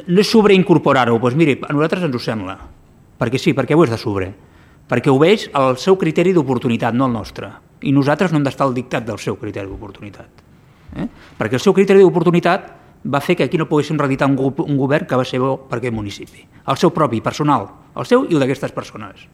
no és sobreincorporar-ho, doncs miri, a nosaltres ens ho sembla. Perquè sí, perquè ho és de sobre. Perquè obeeix al seu criteri d'oportunitat, no al nostre. I nosaltres no hem d'estar al dictat del seu criteri d'oportunitat. Perquè el seu criteri d'oportunitat va fer que aquí no poguéssim reeditar un govern que va ser bo per aquest municipi. El seu propi, personal, el seu i el d'aquestes persones.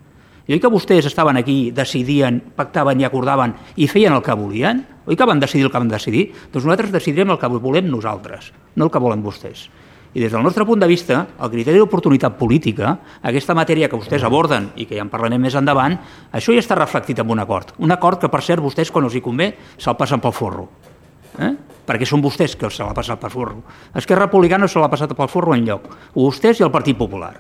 I oi que vostès estaven aquí, decidien, pactaven i acordaven i feien el que volien? Oi que van decidir el que van decidir? Doncs nosaltres decidirem el que volem nosaltres, no el que volen vostès. I des del nostre punt de vista, el criteri d'oportunitat política, aquesta matèria que vostès aborden i que ja en parlarem més endavant, això ja està reflectit en un acord. Un acord que, per cert, vostès, quan els hi convé, se'l passen pel forro. Perquè són vostès que se l'ha passat pel forro. Esquerra Republicana se l'ha passat pel forro enlloc. Vostès i el Partit Popular.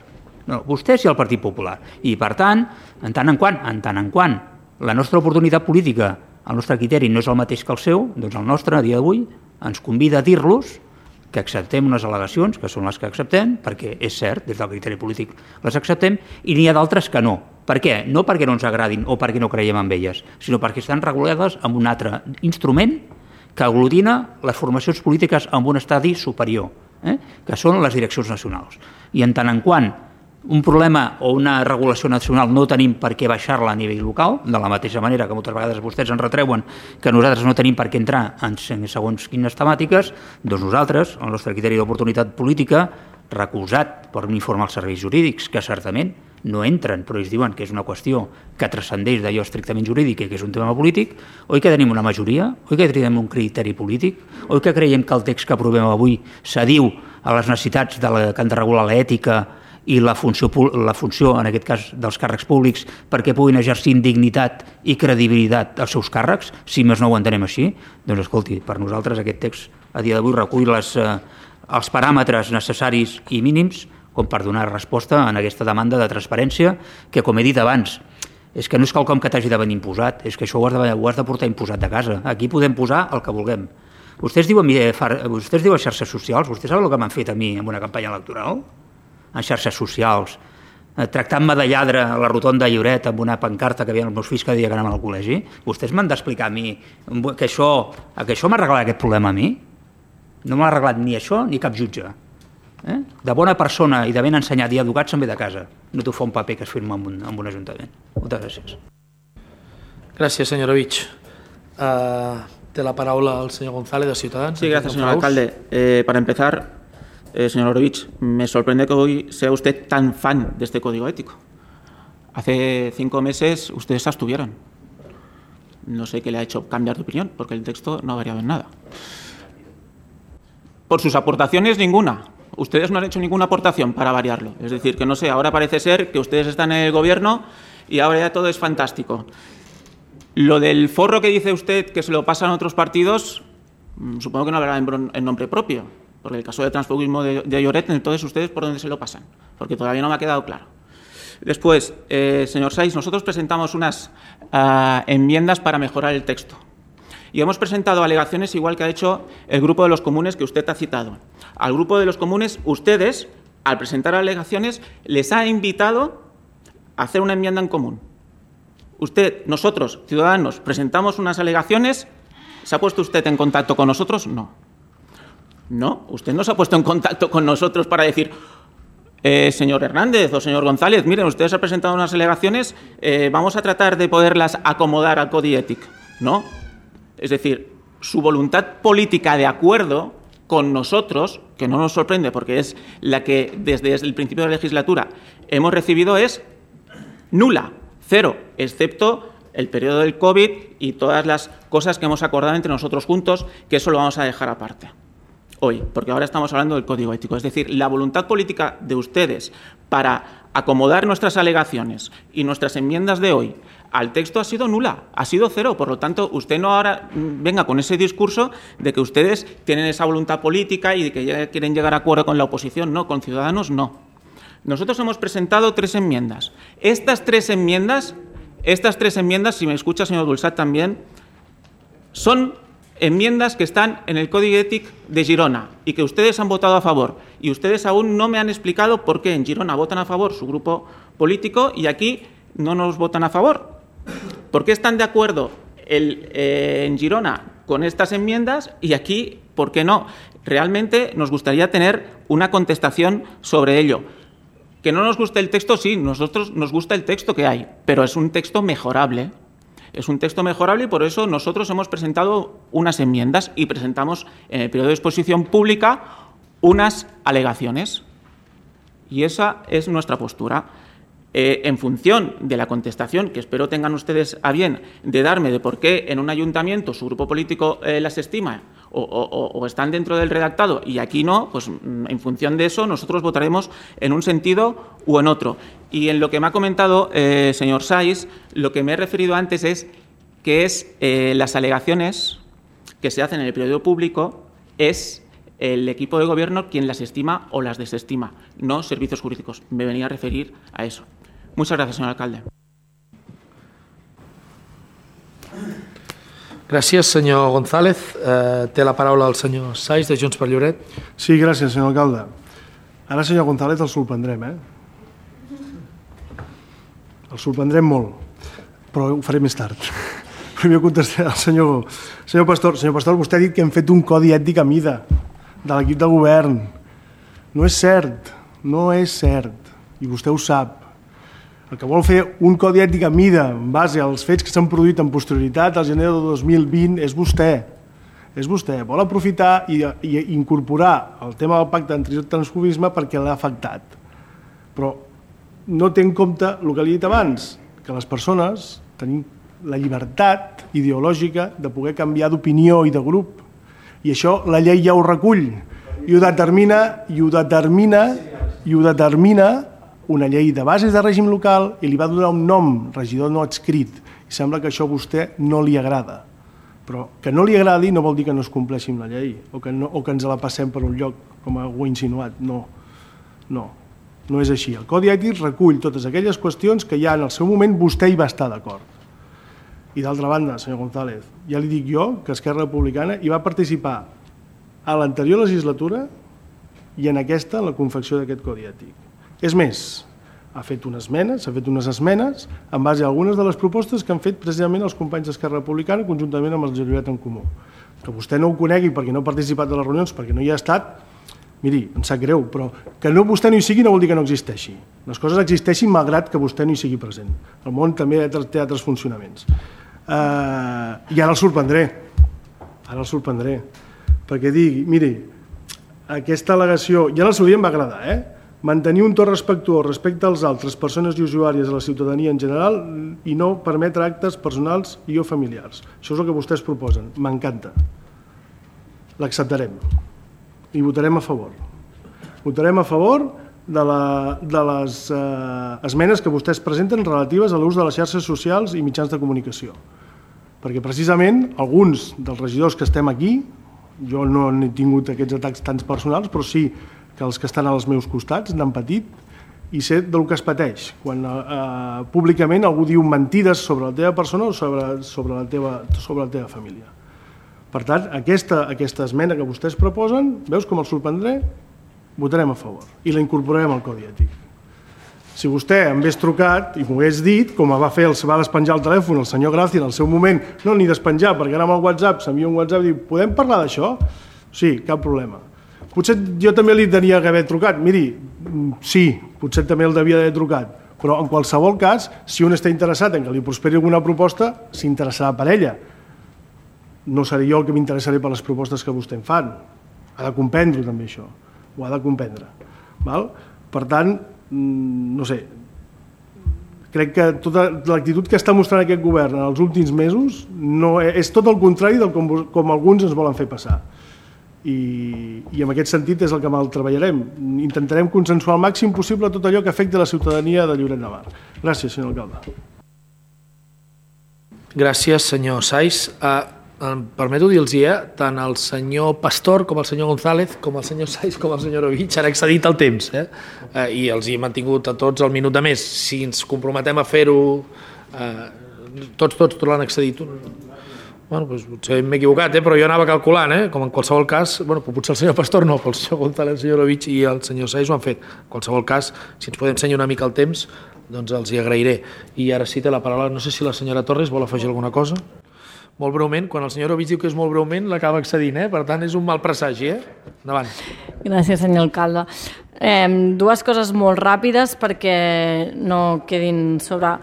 No, vostès i el Partit Popular. I, per tant, en tant en quant la nostra oportunitat política, el nostre criteri no és el mateix que el seu, doncs el nostre, a dia d'avui, ens convida a dir-los que acceptem unes al·legacions, que són les que acceptem, perquè és cert, des del criteri polític les acceptem, i n'hi ha d'altres que no. Per què? No perquè no ens agradin o perquè no creiem en elles, sinó perquè estan regulades amb un altre instrument que aglutina les formacions polítiques amb un estadi superior, que són les direccions nacionals. I en tant en quant un problema o una regulació nacional no tenim per què baixar-la a nivell local, de la mateixa manera que moltes vegades vostès ens retreuen que nosaltres no tenim per què entrar en segons quines temàtiques, doncs nosaltres, el nostre criteri d'oportunitat política, recolzat per un informe als serveis jurídics, que certament no entren, però ells diuen que és una qüestió que transcendeix d'allò estrictament jurídic i que és un tema polític, oi que tenim una majoria, oi que tenim un criteri polític, oi que creiem que el text que aprovem avui s'adiu a les necessitats que han de regular l'ètica i la funció, en aquest cas, dels càrrecs públics perquè puguin exercir amb dignitat i credibilitat els seus càrrecs, si més no ho entenem així, doncs escolti, per nosaltres aquest text a dia d'avui recull els paràmetres necessaris i mínims com per donar resposta a aquesta demanda de transparència que, com he dit abans, és que no és quelcom que t'hagi de venir imposat, és que això ho has de portar imposat de casa. Aquí podem posar el que vulguem. Vostès diuen xarxes socials, vostès saben el que m'han fet a mi en una campanya electoral? En xarxes socials, tractant-me de lladre a la rotonda de Lloret amb una pancarta que havia els meus fills que deia que anàvem al col·legi. Vostès m'han d'explicar a mi que això m'ha arreglat aquest problema a mi? No m'ha arreglat ni això ni cap jutge. De bona persona i de ben ensenyat i educat se'n ve de casa. No t'ho fa un paper que es firma en un ajuntament. Moltes gràcies. Gràcies, senyor Ovich. Té la palabra el señor González de Ciudadanos. Sí, gracias, señor alcalde. Para empezar, señor Orovich, me sorprende que hoy sea usted tan fan de este código ético. Hace 5 meses ustedes se abstuvieron. No sé qué le ha hecho cambiar de opinión, porque el texto no ha variado en nada. Por sus aportaciones, ninguna. Ustedes no han hecho ninguna aportación para variarlo. Es decir, que no sé, ahora parece ser que ustedes están en el gobierno y ahora ya todo es fantástico. Lo del forro que dice usted que se lo pasan a otros partidos, supongo que no hablará en nombre propio, porque el caso de transfugismo de Lloret, entonces ustedes por dónde se lo pasan, porque todavía no me ha quedado claro. Después, señor Saiz, nosotros presentamos unas enmiendas para mejorar el texto y hemos presentado alegaciones igual que ha hecho el Grupo de los Comunes que usted ha citado. Al Grupo de los Comunes, ustedes, al presentar alegaciones, les ha invitado a hacer una enmienda en común. Nosotros, Ciudadanos, presentamos unas alegaciones. ¿Se ha puesto usted en contacto con nosotros? No. No, usted no se ha puesto en contacto con nosotros para decir, señor Hernández o señor González, miren, ustedes han presentado unas alegaciones, vamos a tratar de poderlas acomodar al Codi Ètic. No. Es decir, su voluntad política de acuerdo con nosotros, que no nos sorprende porque es la que desde el principio de la legislatura hemos recibido, es nula. 0, excepto el periodo del COVID y todas las cosas que hemos acordado entre nosotros juntos, que eso lo vamos a dejar aparte hoy, porque ahora estamos hablando del código ético. Es decir, la voluntad política de ustedes para acomodar nuestras alegaciones y nuestras enmiendas de hoy al texto ha sido nula, ha sido 0. Por lo tanto, usted no ahora venga con ese discurso de que ustedes tienen esa voluntad política y de que ya quieren llegar a acuerdo con la oposición. No, con Ciudadanos no. Nosotros hemos presentado 3 enmiendas. Estas tres enmiendas, si me escucha, señor Dulsat, también, son enmiendas que están en el Código Ètic de Girona y que ustedes han votado a favor. Y ustedes aún no me han explicado por qué en Girona votan a favor su grupo político y aquí no nos votan a favor. ¿Por qué están de acuerdo en Girona con estas enmiendas y aquí por qué no? Realmente nos gustaría tener una contestación sobre ello. Que no nos guste el texto, sí, nosotros nos gusta el texto que hay, pero es un texto mejorable. Es un texto mejorable y por eso nosotros hemos presentado unas enmiendas y presentamos en el periodo de exposición pública unas alegaciones. Y esa es nuestra postura. En función de la contestación, que espero tengan ustedes a bien de darme de por qué en un ayuntamiento su grupo político las estima o están dentro del redactado y aquí no, pues en función de eso nosotros votaremos en un sentido u en otro. Y en lo que me ha comentado, señor Saiz, lo que me he referido antes es que las alegaciones que se hacen en el periodo público es el equipo de gobierno quien las estima o las desestima, no servicios jurídicos. Me venía a referir a eso. Muchas gracias, señor alcalde. Gràcies, senyor González. Té la paraula el senyor Saiz, de Junts per Lloret. Sí, gràcies, senyor alcalde. Ara, senyor González, el sorprendrem, El sorprendrem molt, però ho faré més tard. Primer contestaré al senyor Pastor. Senyor Pastor, vostè ha dit que hem fet un codi ètic a mida de l'equip de govern. No és cert, i vostè ho sap. El que vol fer un codi ètic a mida en base als fets que s'han produït en posterioritat al gener de 2020 és vostè. És vostè. Vol aprofitar i incorporar el tema del pacte antitransfobisme perquè l'ha afectat. Però no té en compte el que li he dit abans, que les persones tenim la llibertat ideològica de poder canviar d'opinió i de grup. I això la llei ja ho recull i ho determina una llei de bases de règim local i li va donar un nom, regidor no adscrit. I sembla que això a vostè no li agrada. Però que no li agradi no vol dir que no es compleixi amb la llei o que ens la passem per un lloc, com ho ha insinuat. No és així. El Codi Ètic recull totes aquelles qüestions que ja en el seu moment vostè hi va estar d'acord. I d'altra banda, senyor González, ja li dic jo que Esquerra Republicana hi va participar a l'anterior legislatura i en aquesta, en la confecció d'aquest Codi Ètic. És més, s'ha fet unes esmenes en base a algunes de les propostes que han fet precisament els companys d'Esquerra Republicana conjuntament amb el Lloret en Comú. Que vostè no ho conegui perquè no ha participat de les reunions, perquè no hi ha estat, miri, em sap greu, però que vostè no hi sigui no vol dir que no existeixi. Les coses existeixin malgrat que vostè no hi sigui present. El món també té altres funcionaments. I ara el sorprendré, perquè digui, miri, aquesta al·legació, ja en el seu dia em va agradar, mantenir un to respectuós respecte als altres persones i usuàries de la ciutadania en general i no permetre actes personals i o familiars. Això és el que vostès proposen, m'encanta. L'acceptarem i votarem a favor. Votarem a favor de les esmenes que vostès presenten relatives a l'ús de les xarxes socials i mitjans de comunicació. Perquè precisament alguns dels regidors que estem aquí, jo no he tingut aquests atacs tan personals, però sí que els que estan als meus costats n'han patit i sé del que es pateix quan públicament algú diu mentides sobre la teva persona o sobre la teva família. Per tant, aquesta esmena que vostès proposen, veus com el sorprendré? Votarem a favor i la incorporarem al Codi Ètic. Si vostè em hagués trucat i m'ho hagués dit, com va despenjar el telèfon el senyor Gracia en el seu moment, no ni despenjar, perquè ara amb el WhatsApp s'envia un WhatsApp i diu, podem parlar d'això? Sí, cap problema. Potser jo també li tenia que haver trucat. Miri, sí, potser també el devia d'haver trucat, però en qualsevol cas, si un està interessat en que li prosperi alguna proposta, s'interessarà per ella. No seré jo el que m'interessaré per les propostes que vostè em fan. Ha de comprendre també això, ho ha de comprendre. Per tant, no sé, crec que tota l'actitud que està mostrant aquest govern en els últims mesos és tot el contrari del com alguns ens volen fer passar. I en aquest sentit és el que mal treballarem. Intentarem consensuar al màxim possible tot allò que afecti la ciutadania de Lloret de Mar. Gràcies, senyor alcalde. Gràcies, senyor Saiz. Em permeto dir-los, tant el senyor Pastor com el senyor González, com el senyor Saiz com el senyor Ovich han excedit el temps, i els hi he mantingut a tots el minut de més. Si ens comprometem a fer-ho, tots l'han excedit. Bueno, doncs potser m'he equivocat, però jo anava calculant, com en qualsevol cas, potser el senyor Pastor no, però el senyor González, el senyor Ovich i el senyor Saiz ho han fet. En qualsevol cas, si ens podem ensenyar una mica el temps, doncs els hi agrairé. I ara sí té la paraula, no sé si la senyora Torres vol afegir alguna cosa. Molt breument, quan el senyor Ovich diu que és molt breument, l'acaba excedint, per tant és un mal presagi. Endavant. Gràcies, senyor alcalde. Dues coses molt ràpides perquè no quedin sobre...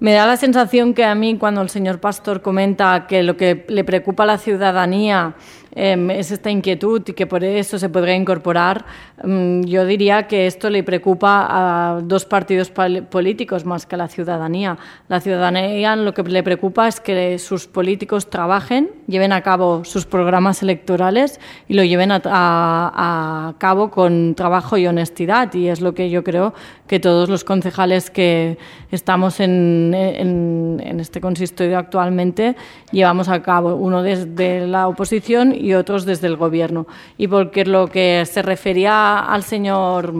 Me da la sensación que a mí cuando el señor Pastor comenta que lo que le preocupa a la ciudadanía es esta inquietud y que por eso se podría incorporar, yo diría que esto le preocupa a dos partidos políticos más que a la ciudadanía. La ciudadanía lo que le preocupa es que sus políticos trabajen, lleven a cabo sus programas electorales y lo lleven a cabo con trabajo y honestidad, y es lo que yo creo que todos los concejales que estamos en este consistorio actualmente llevamos a cabo, uno desde la oposición y otros desde el Gobierno. Y porque lo que se refería al señor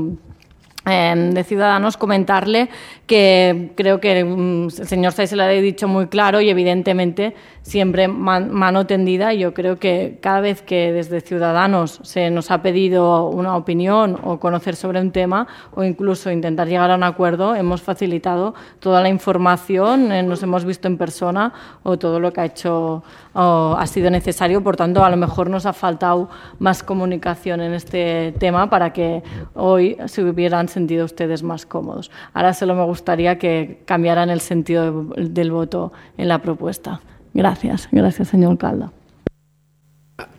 de Ciudadanos, comentarle que creo que el señor Saiz se lo ha dicho muy claro y evidentemente siempre mano tendida. Yo creo que cada vez que desde Ciudadanos se nos ha pedido una opinión o conocer sobre un tema o incluso intentar llegar a un acuerdo, hemos facilitado toda la información, nos hemos visto en persona o todo lo que ha sido necesario. Por tanto, a lo mejor nos ha faltado más comunicación en este tema para que hoy se hubieran sentido ustedes más cómodos. Ahora solo me gustaría que cambiaran el sentido del voto en la propuesta. Gràcies, senyor alcalde.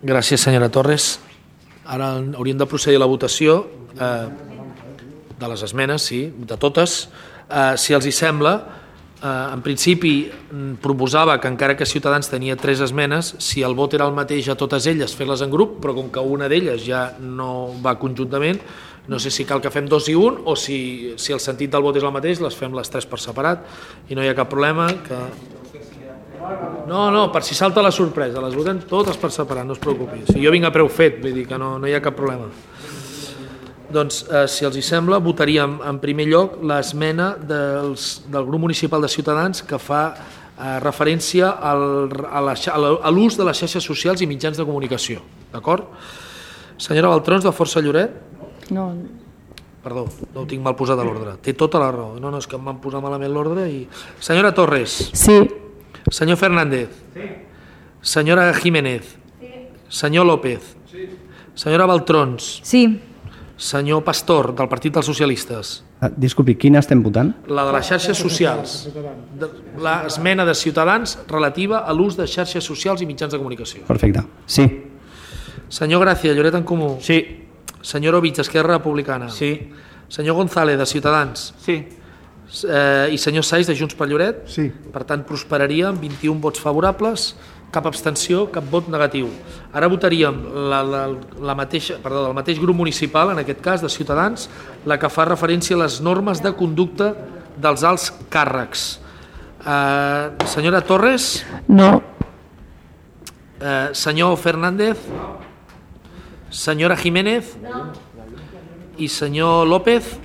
Gràcies, senyora Torres. Ara hauríem de procedir a la votació de les esmenes, sí, de totes. Si els hi sembla, en principi proposava que encara que Ciutadans tenia 3 esmenes, si el vot era el mateix a totes elles, fer-les en grup, però com que una d'elles ja no va conjuntament, no sé si cal que fem 2 i 1 o si el sentit del vot és el mateix, les fem les 3 per separat i no hi ha cap problema. No, per si salta la sorpresa, les votem totes per separat, no es preocupi. Si jo vinc a preu fet, vull dir que no hi ha cap problema. Doncs, si els hi sembla, votaríem en primer lloc l'esmena del grup municipal de Ciutadans que fa referència a l'ús de les xarxes socials i mitjans de comunicació. D'acord? Senyora Baltrons, de Força Lloret? No. Perdó, no ho tinc mal posat a l'ordre. Té tota la raó. No, és que em van posar malament l'ordre i... Senyora Torres? Sí. Senyor Fernández? Sí. Senyora Jiménez? Sí. Senyor López? Sí. Senyora Baltrons? Sí. Senyor Pastor, del Partit dels Socialistes? Disculpi, quina estem votant? La de les xarxes socials. L'esmena de Ciutadans relativa a l'ús de xarxes socials i mitjans de comunicació. Perfecte. Sí. Senyor Gràcia, Lloret en Comú. Sí. Senyor Ovich, Esquerra Republicana. Sí. Senyor González, de Ciutadans. Sí. I senyor Saiz, de Junts per Lloret. Sí. Per tant, prosperaria amb 21 vots favorables, cap abstenció, cap vot negatiu. Ara votaríem el mateix grup municipal, en aquest cas, de Ciutadans, la que fa referència a les normes de conducta dels alts càrrecs. Senyora Torres? No. Senyor Fernández? Senyora Jiménez? I senyor López?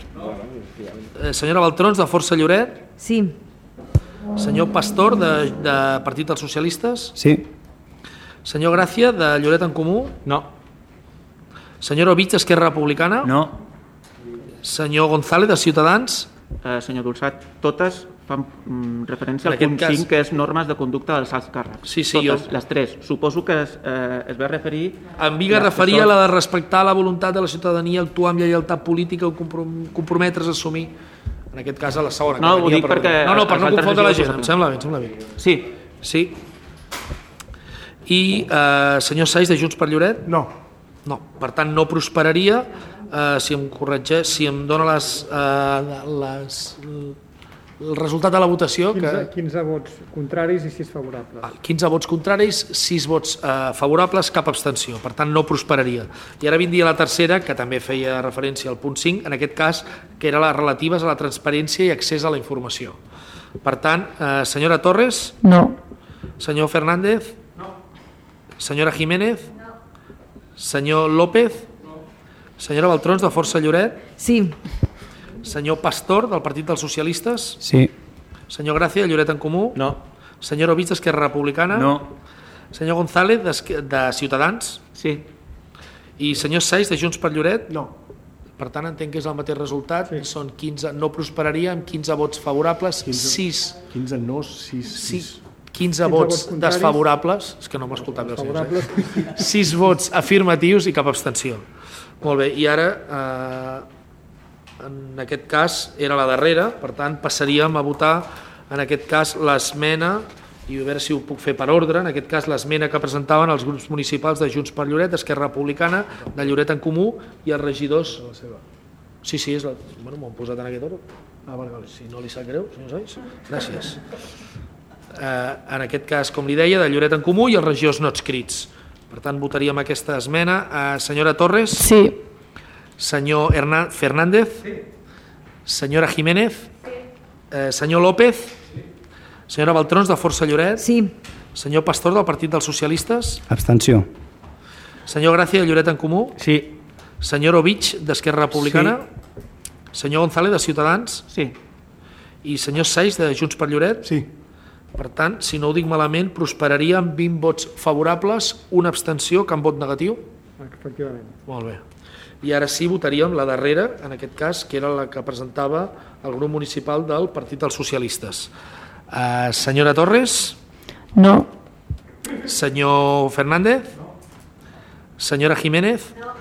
Senyora Baltrons, de Força Lloret? Sí. Senyor Pastor, de Partit dels Socialistes? Sí. Senyor Gràcia, de Lloret en Comú? No. Senyor Ovich, Esquerra Republicana? No. Senyor González, de Ciutadans? Senyor Dolçat, totes fan referència En al aquest punt cas- 5, que és normes de conducta dels alts càrrecs. Sí, sí, totes, jo- les tres. Suposo que es va referir... Em vinga a referir a la de respectar la voluntat de la ciutadania, actuar amb lleialtat política o comprometre's a assumir, en aquest cas a la segona. No, que ho venia dic perquè No, per els no altres confondre la regidors gent, ho em saben. sembla bé. Sí. Sí. I senyor Saiz, de Junts per Lloret? No. No. Per tant, no prosperaria. Si em corregeix, si em dona el resultat de la votació... 15 vots contraris i 6 favorables. 15 vots contraris, 6 vots favorables, cap abstenció. Per tant, no prosperaria. I ara vindria la tercera, que també feia referència al punt 5, en aquest cas, que era les relatives a la transparència i accés a la informació. Per tant, senyora Torres? No. Senyor Fernández? No. Senyora Jiménez? No. Senyor López? No. Senyora Baltrons, de Força Lloret? Sí. Senyor Pastor, del Partit dels Socialistes? Sí. Senyor Gràcia, de Lloret en Comú? No. Senyor Ovich, d'Esquerra Republicana? No. Senyor González, de Ciutadans? Sí. I senyor Saiz, de Junts per Lloret? No. Per tant, entenc que és el mateix resultat. Sí. Són 15, no prosperaria, amb 15 vots favorables, 15 no, 6. 15 vots contraris. desfavorables, és que no m'ha escoltat bé el senyor Favorables. Saiz. 6 vots afirmatius i cap abstenció. Molt bé, i ara, en aquest cas, era la darrera, per tant, passaríem a votar, en aquest cas, l'esmena, i a veure si ho puc fer per ordre, en aquest cas, l'esmena que presentaven els grups municipals de Junts per Lloret, d'Esquerra Republicana, de Lloret en Comú i els regidors... Sí, és la... Bueno, m'ho han posat en aquest ordre. Vale. Si no li sap greu, senyor Saiz. Gràcies. En aquest cas, com li deia, de Lloret en Comú i els regidors no adscrits. Per tant, votaríem aquesta esmena. Senyora Torres? Sí. Senyor Fernández? Sí. Senyora Jiménez? Sí. Senyor López? Sí. Senyora Baltrons, de Força Lloret? Sí. Senyor Pastor, del Partit dels Socialistes? Abstenció. Senyor Gràcia, de Lloret en Comú? Sí. Senyor Ovich, d'Esquerra Republicana? Sí. Senyor González, de Ciutadans? Sí. I senyor Saiz, de Junts per Lloret? Sí. Per tant, si no ho dic malament, prosperaria amb 20 vots favorables, una abstenció, cap vot negatiu? Efectivament. Molt bé. I ara sí votaríem la darrera, en aquest cas, que era la que presentava el grup municipal del Partit dels Socialistes. Senyora Torres? No. Senyor Fernández? No. Senyora Jiménez? No.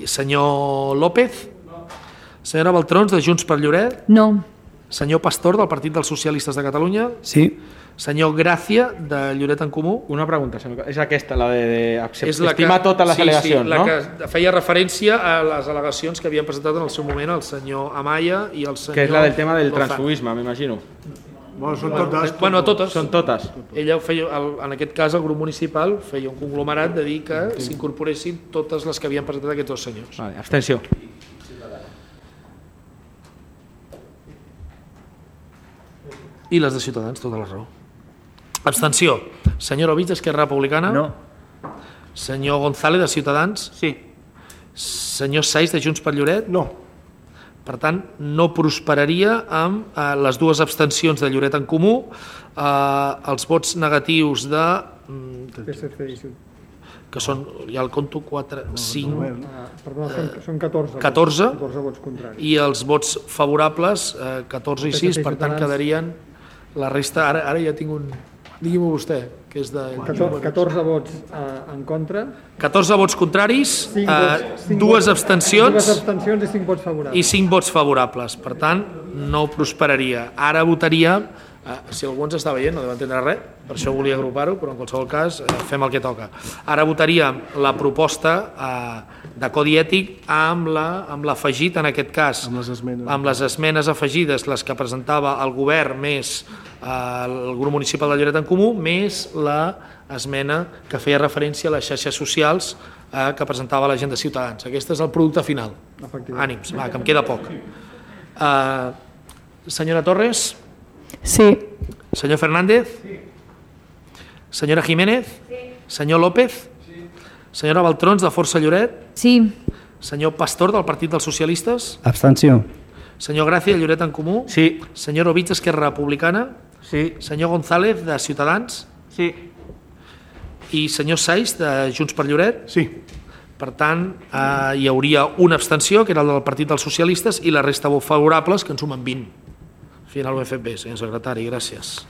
Senyor López? No. Senyora Baltrons, de Junts per Lloret? No. Senyor Pastor, del Partit dels Socialistes de Catalunya? Sí. Senyor Gràcia, de Lloret en Comú? Una pregunta, és aquesta, la És la estimar totes les al·legacions, la no? que feia referència a les al·legacions que havien presentat en el seu moment el senyor Amaya i el senyor... Que és la del tema del Lozano. transfugisme, m'imagino. Bueno, són totes. Bueno, a totes. Són totes. Ella feia, en aquest cas, el grup municipal feia un conglomerat de dir que s'incorporessin totes les que havien presentat aquests dos senyors. Vale, abstenció. I les de Ciutadans, tota la raó. Abstenció. Senyor Ovich, d'Esquerra Republicana? No. Senyor González, de Ciutadans? Sí. Senyor Saiz, de Junts per Lloret? No. Per tant, no prosperaria amb les dues abstencions de Lloret en Comú, els vots negatius de... PSC i Ciutadans. que són, ja el conto, 4, 5... Perdona, són 14. 14. 14 vots contraris. I els vots favorables, 14 i 6, per tant quedarien la resta... Ara ja tinc un... Digui-m'ho vostè. que és de... 14 vots en contra, 14 vots contraris, 5 dues abstencions i 5 vots favorables. i 5 vots favorables. Per tant, no prosperaria. Ara votaria, si algú ens està veient, no deu entendre res, per això volia agrupar-ho, però en qualsevol cas fem el que toca. Ara votaríem la proposta de codi ètic amb l'afegit, en aquest cas, amb les esmenes afegides, les que presentava el govern més el grup municipal de Lloret en Comú, més l'esmena que feia referència a les xarxes socials que presentava la gent de Ciutadans. Aquest és el producte final. Ànims, va, que em queda poc. Senyora Torres? Sí. Senyor Fernández? Sí. Senyora Jiménez? Sí. Senyor López? Sí. Senyora Baltrons, de Força Lloret? Sí. Senyor Pastor, del Partit dels Socialistes? Abstenció. Senyor Gràcia, de Lloret en Comú? Sí. Senyor Ovich, Esquerra Republicana? Sí. Senyor González, de Ciutadans? Sí. I senyor Saiz, de Junts per Lloret? Sí. Per tant, hi hauria una abstenció, que era el del Partit dels Socialistes, i la resta favorables, que en sumen 20. Al final ho hem fet bé, senyor secretari, gràcies.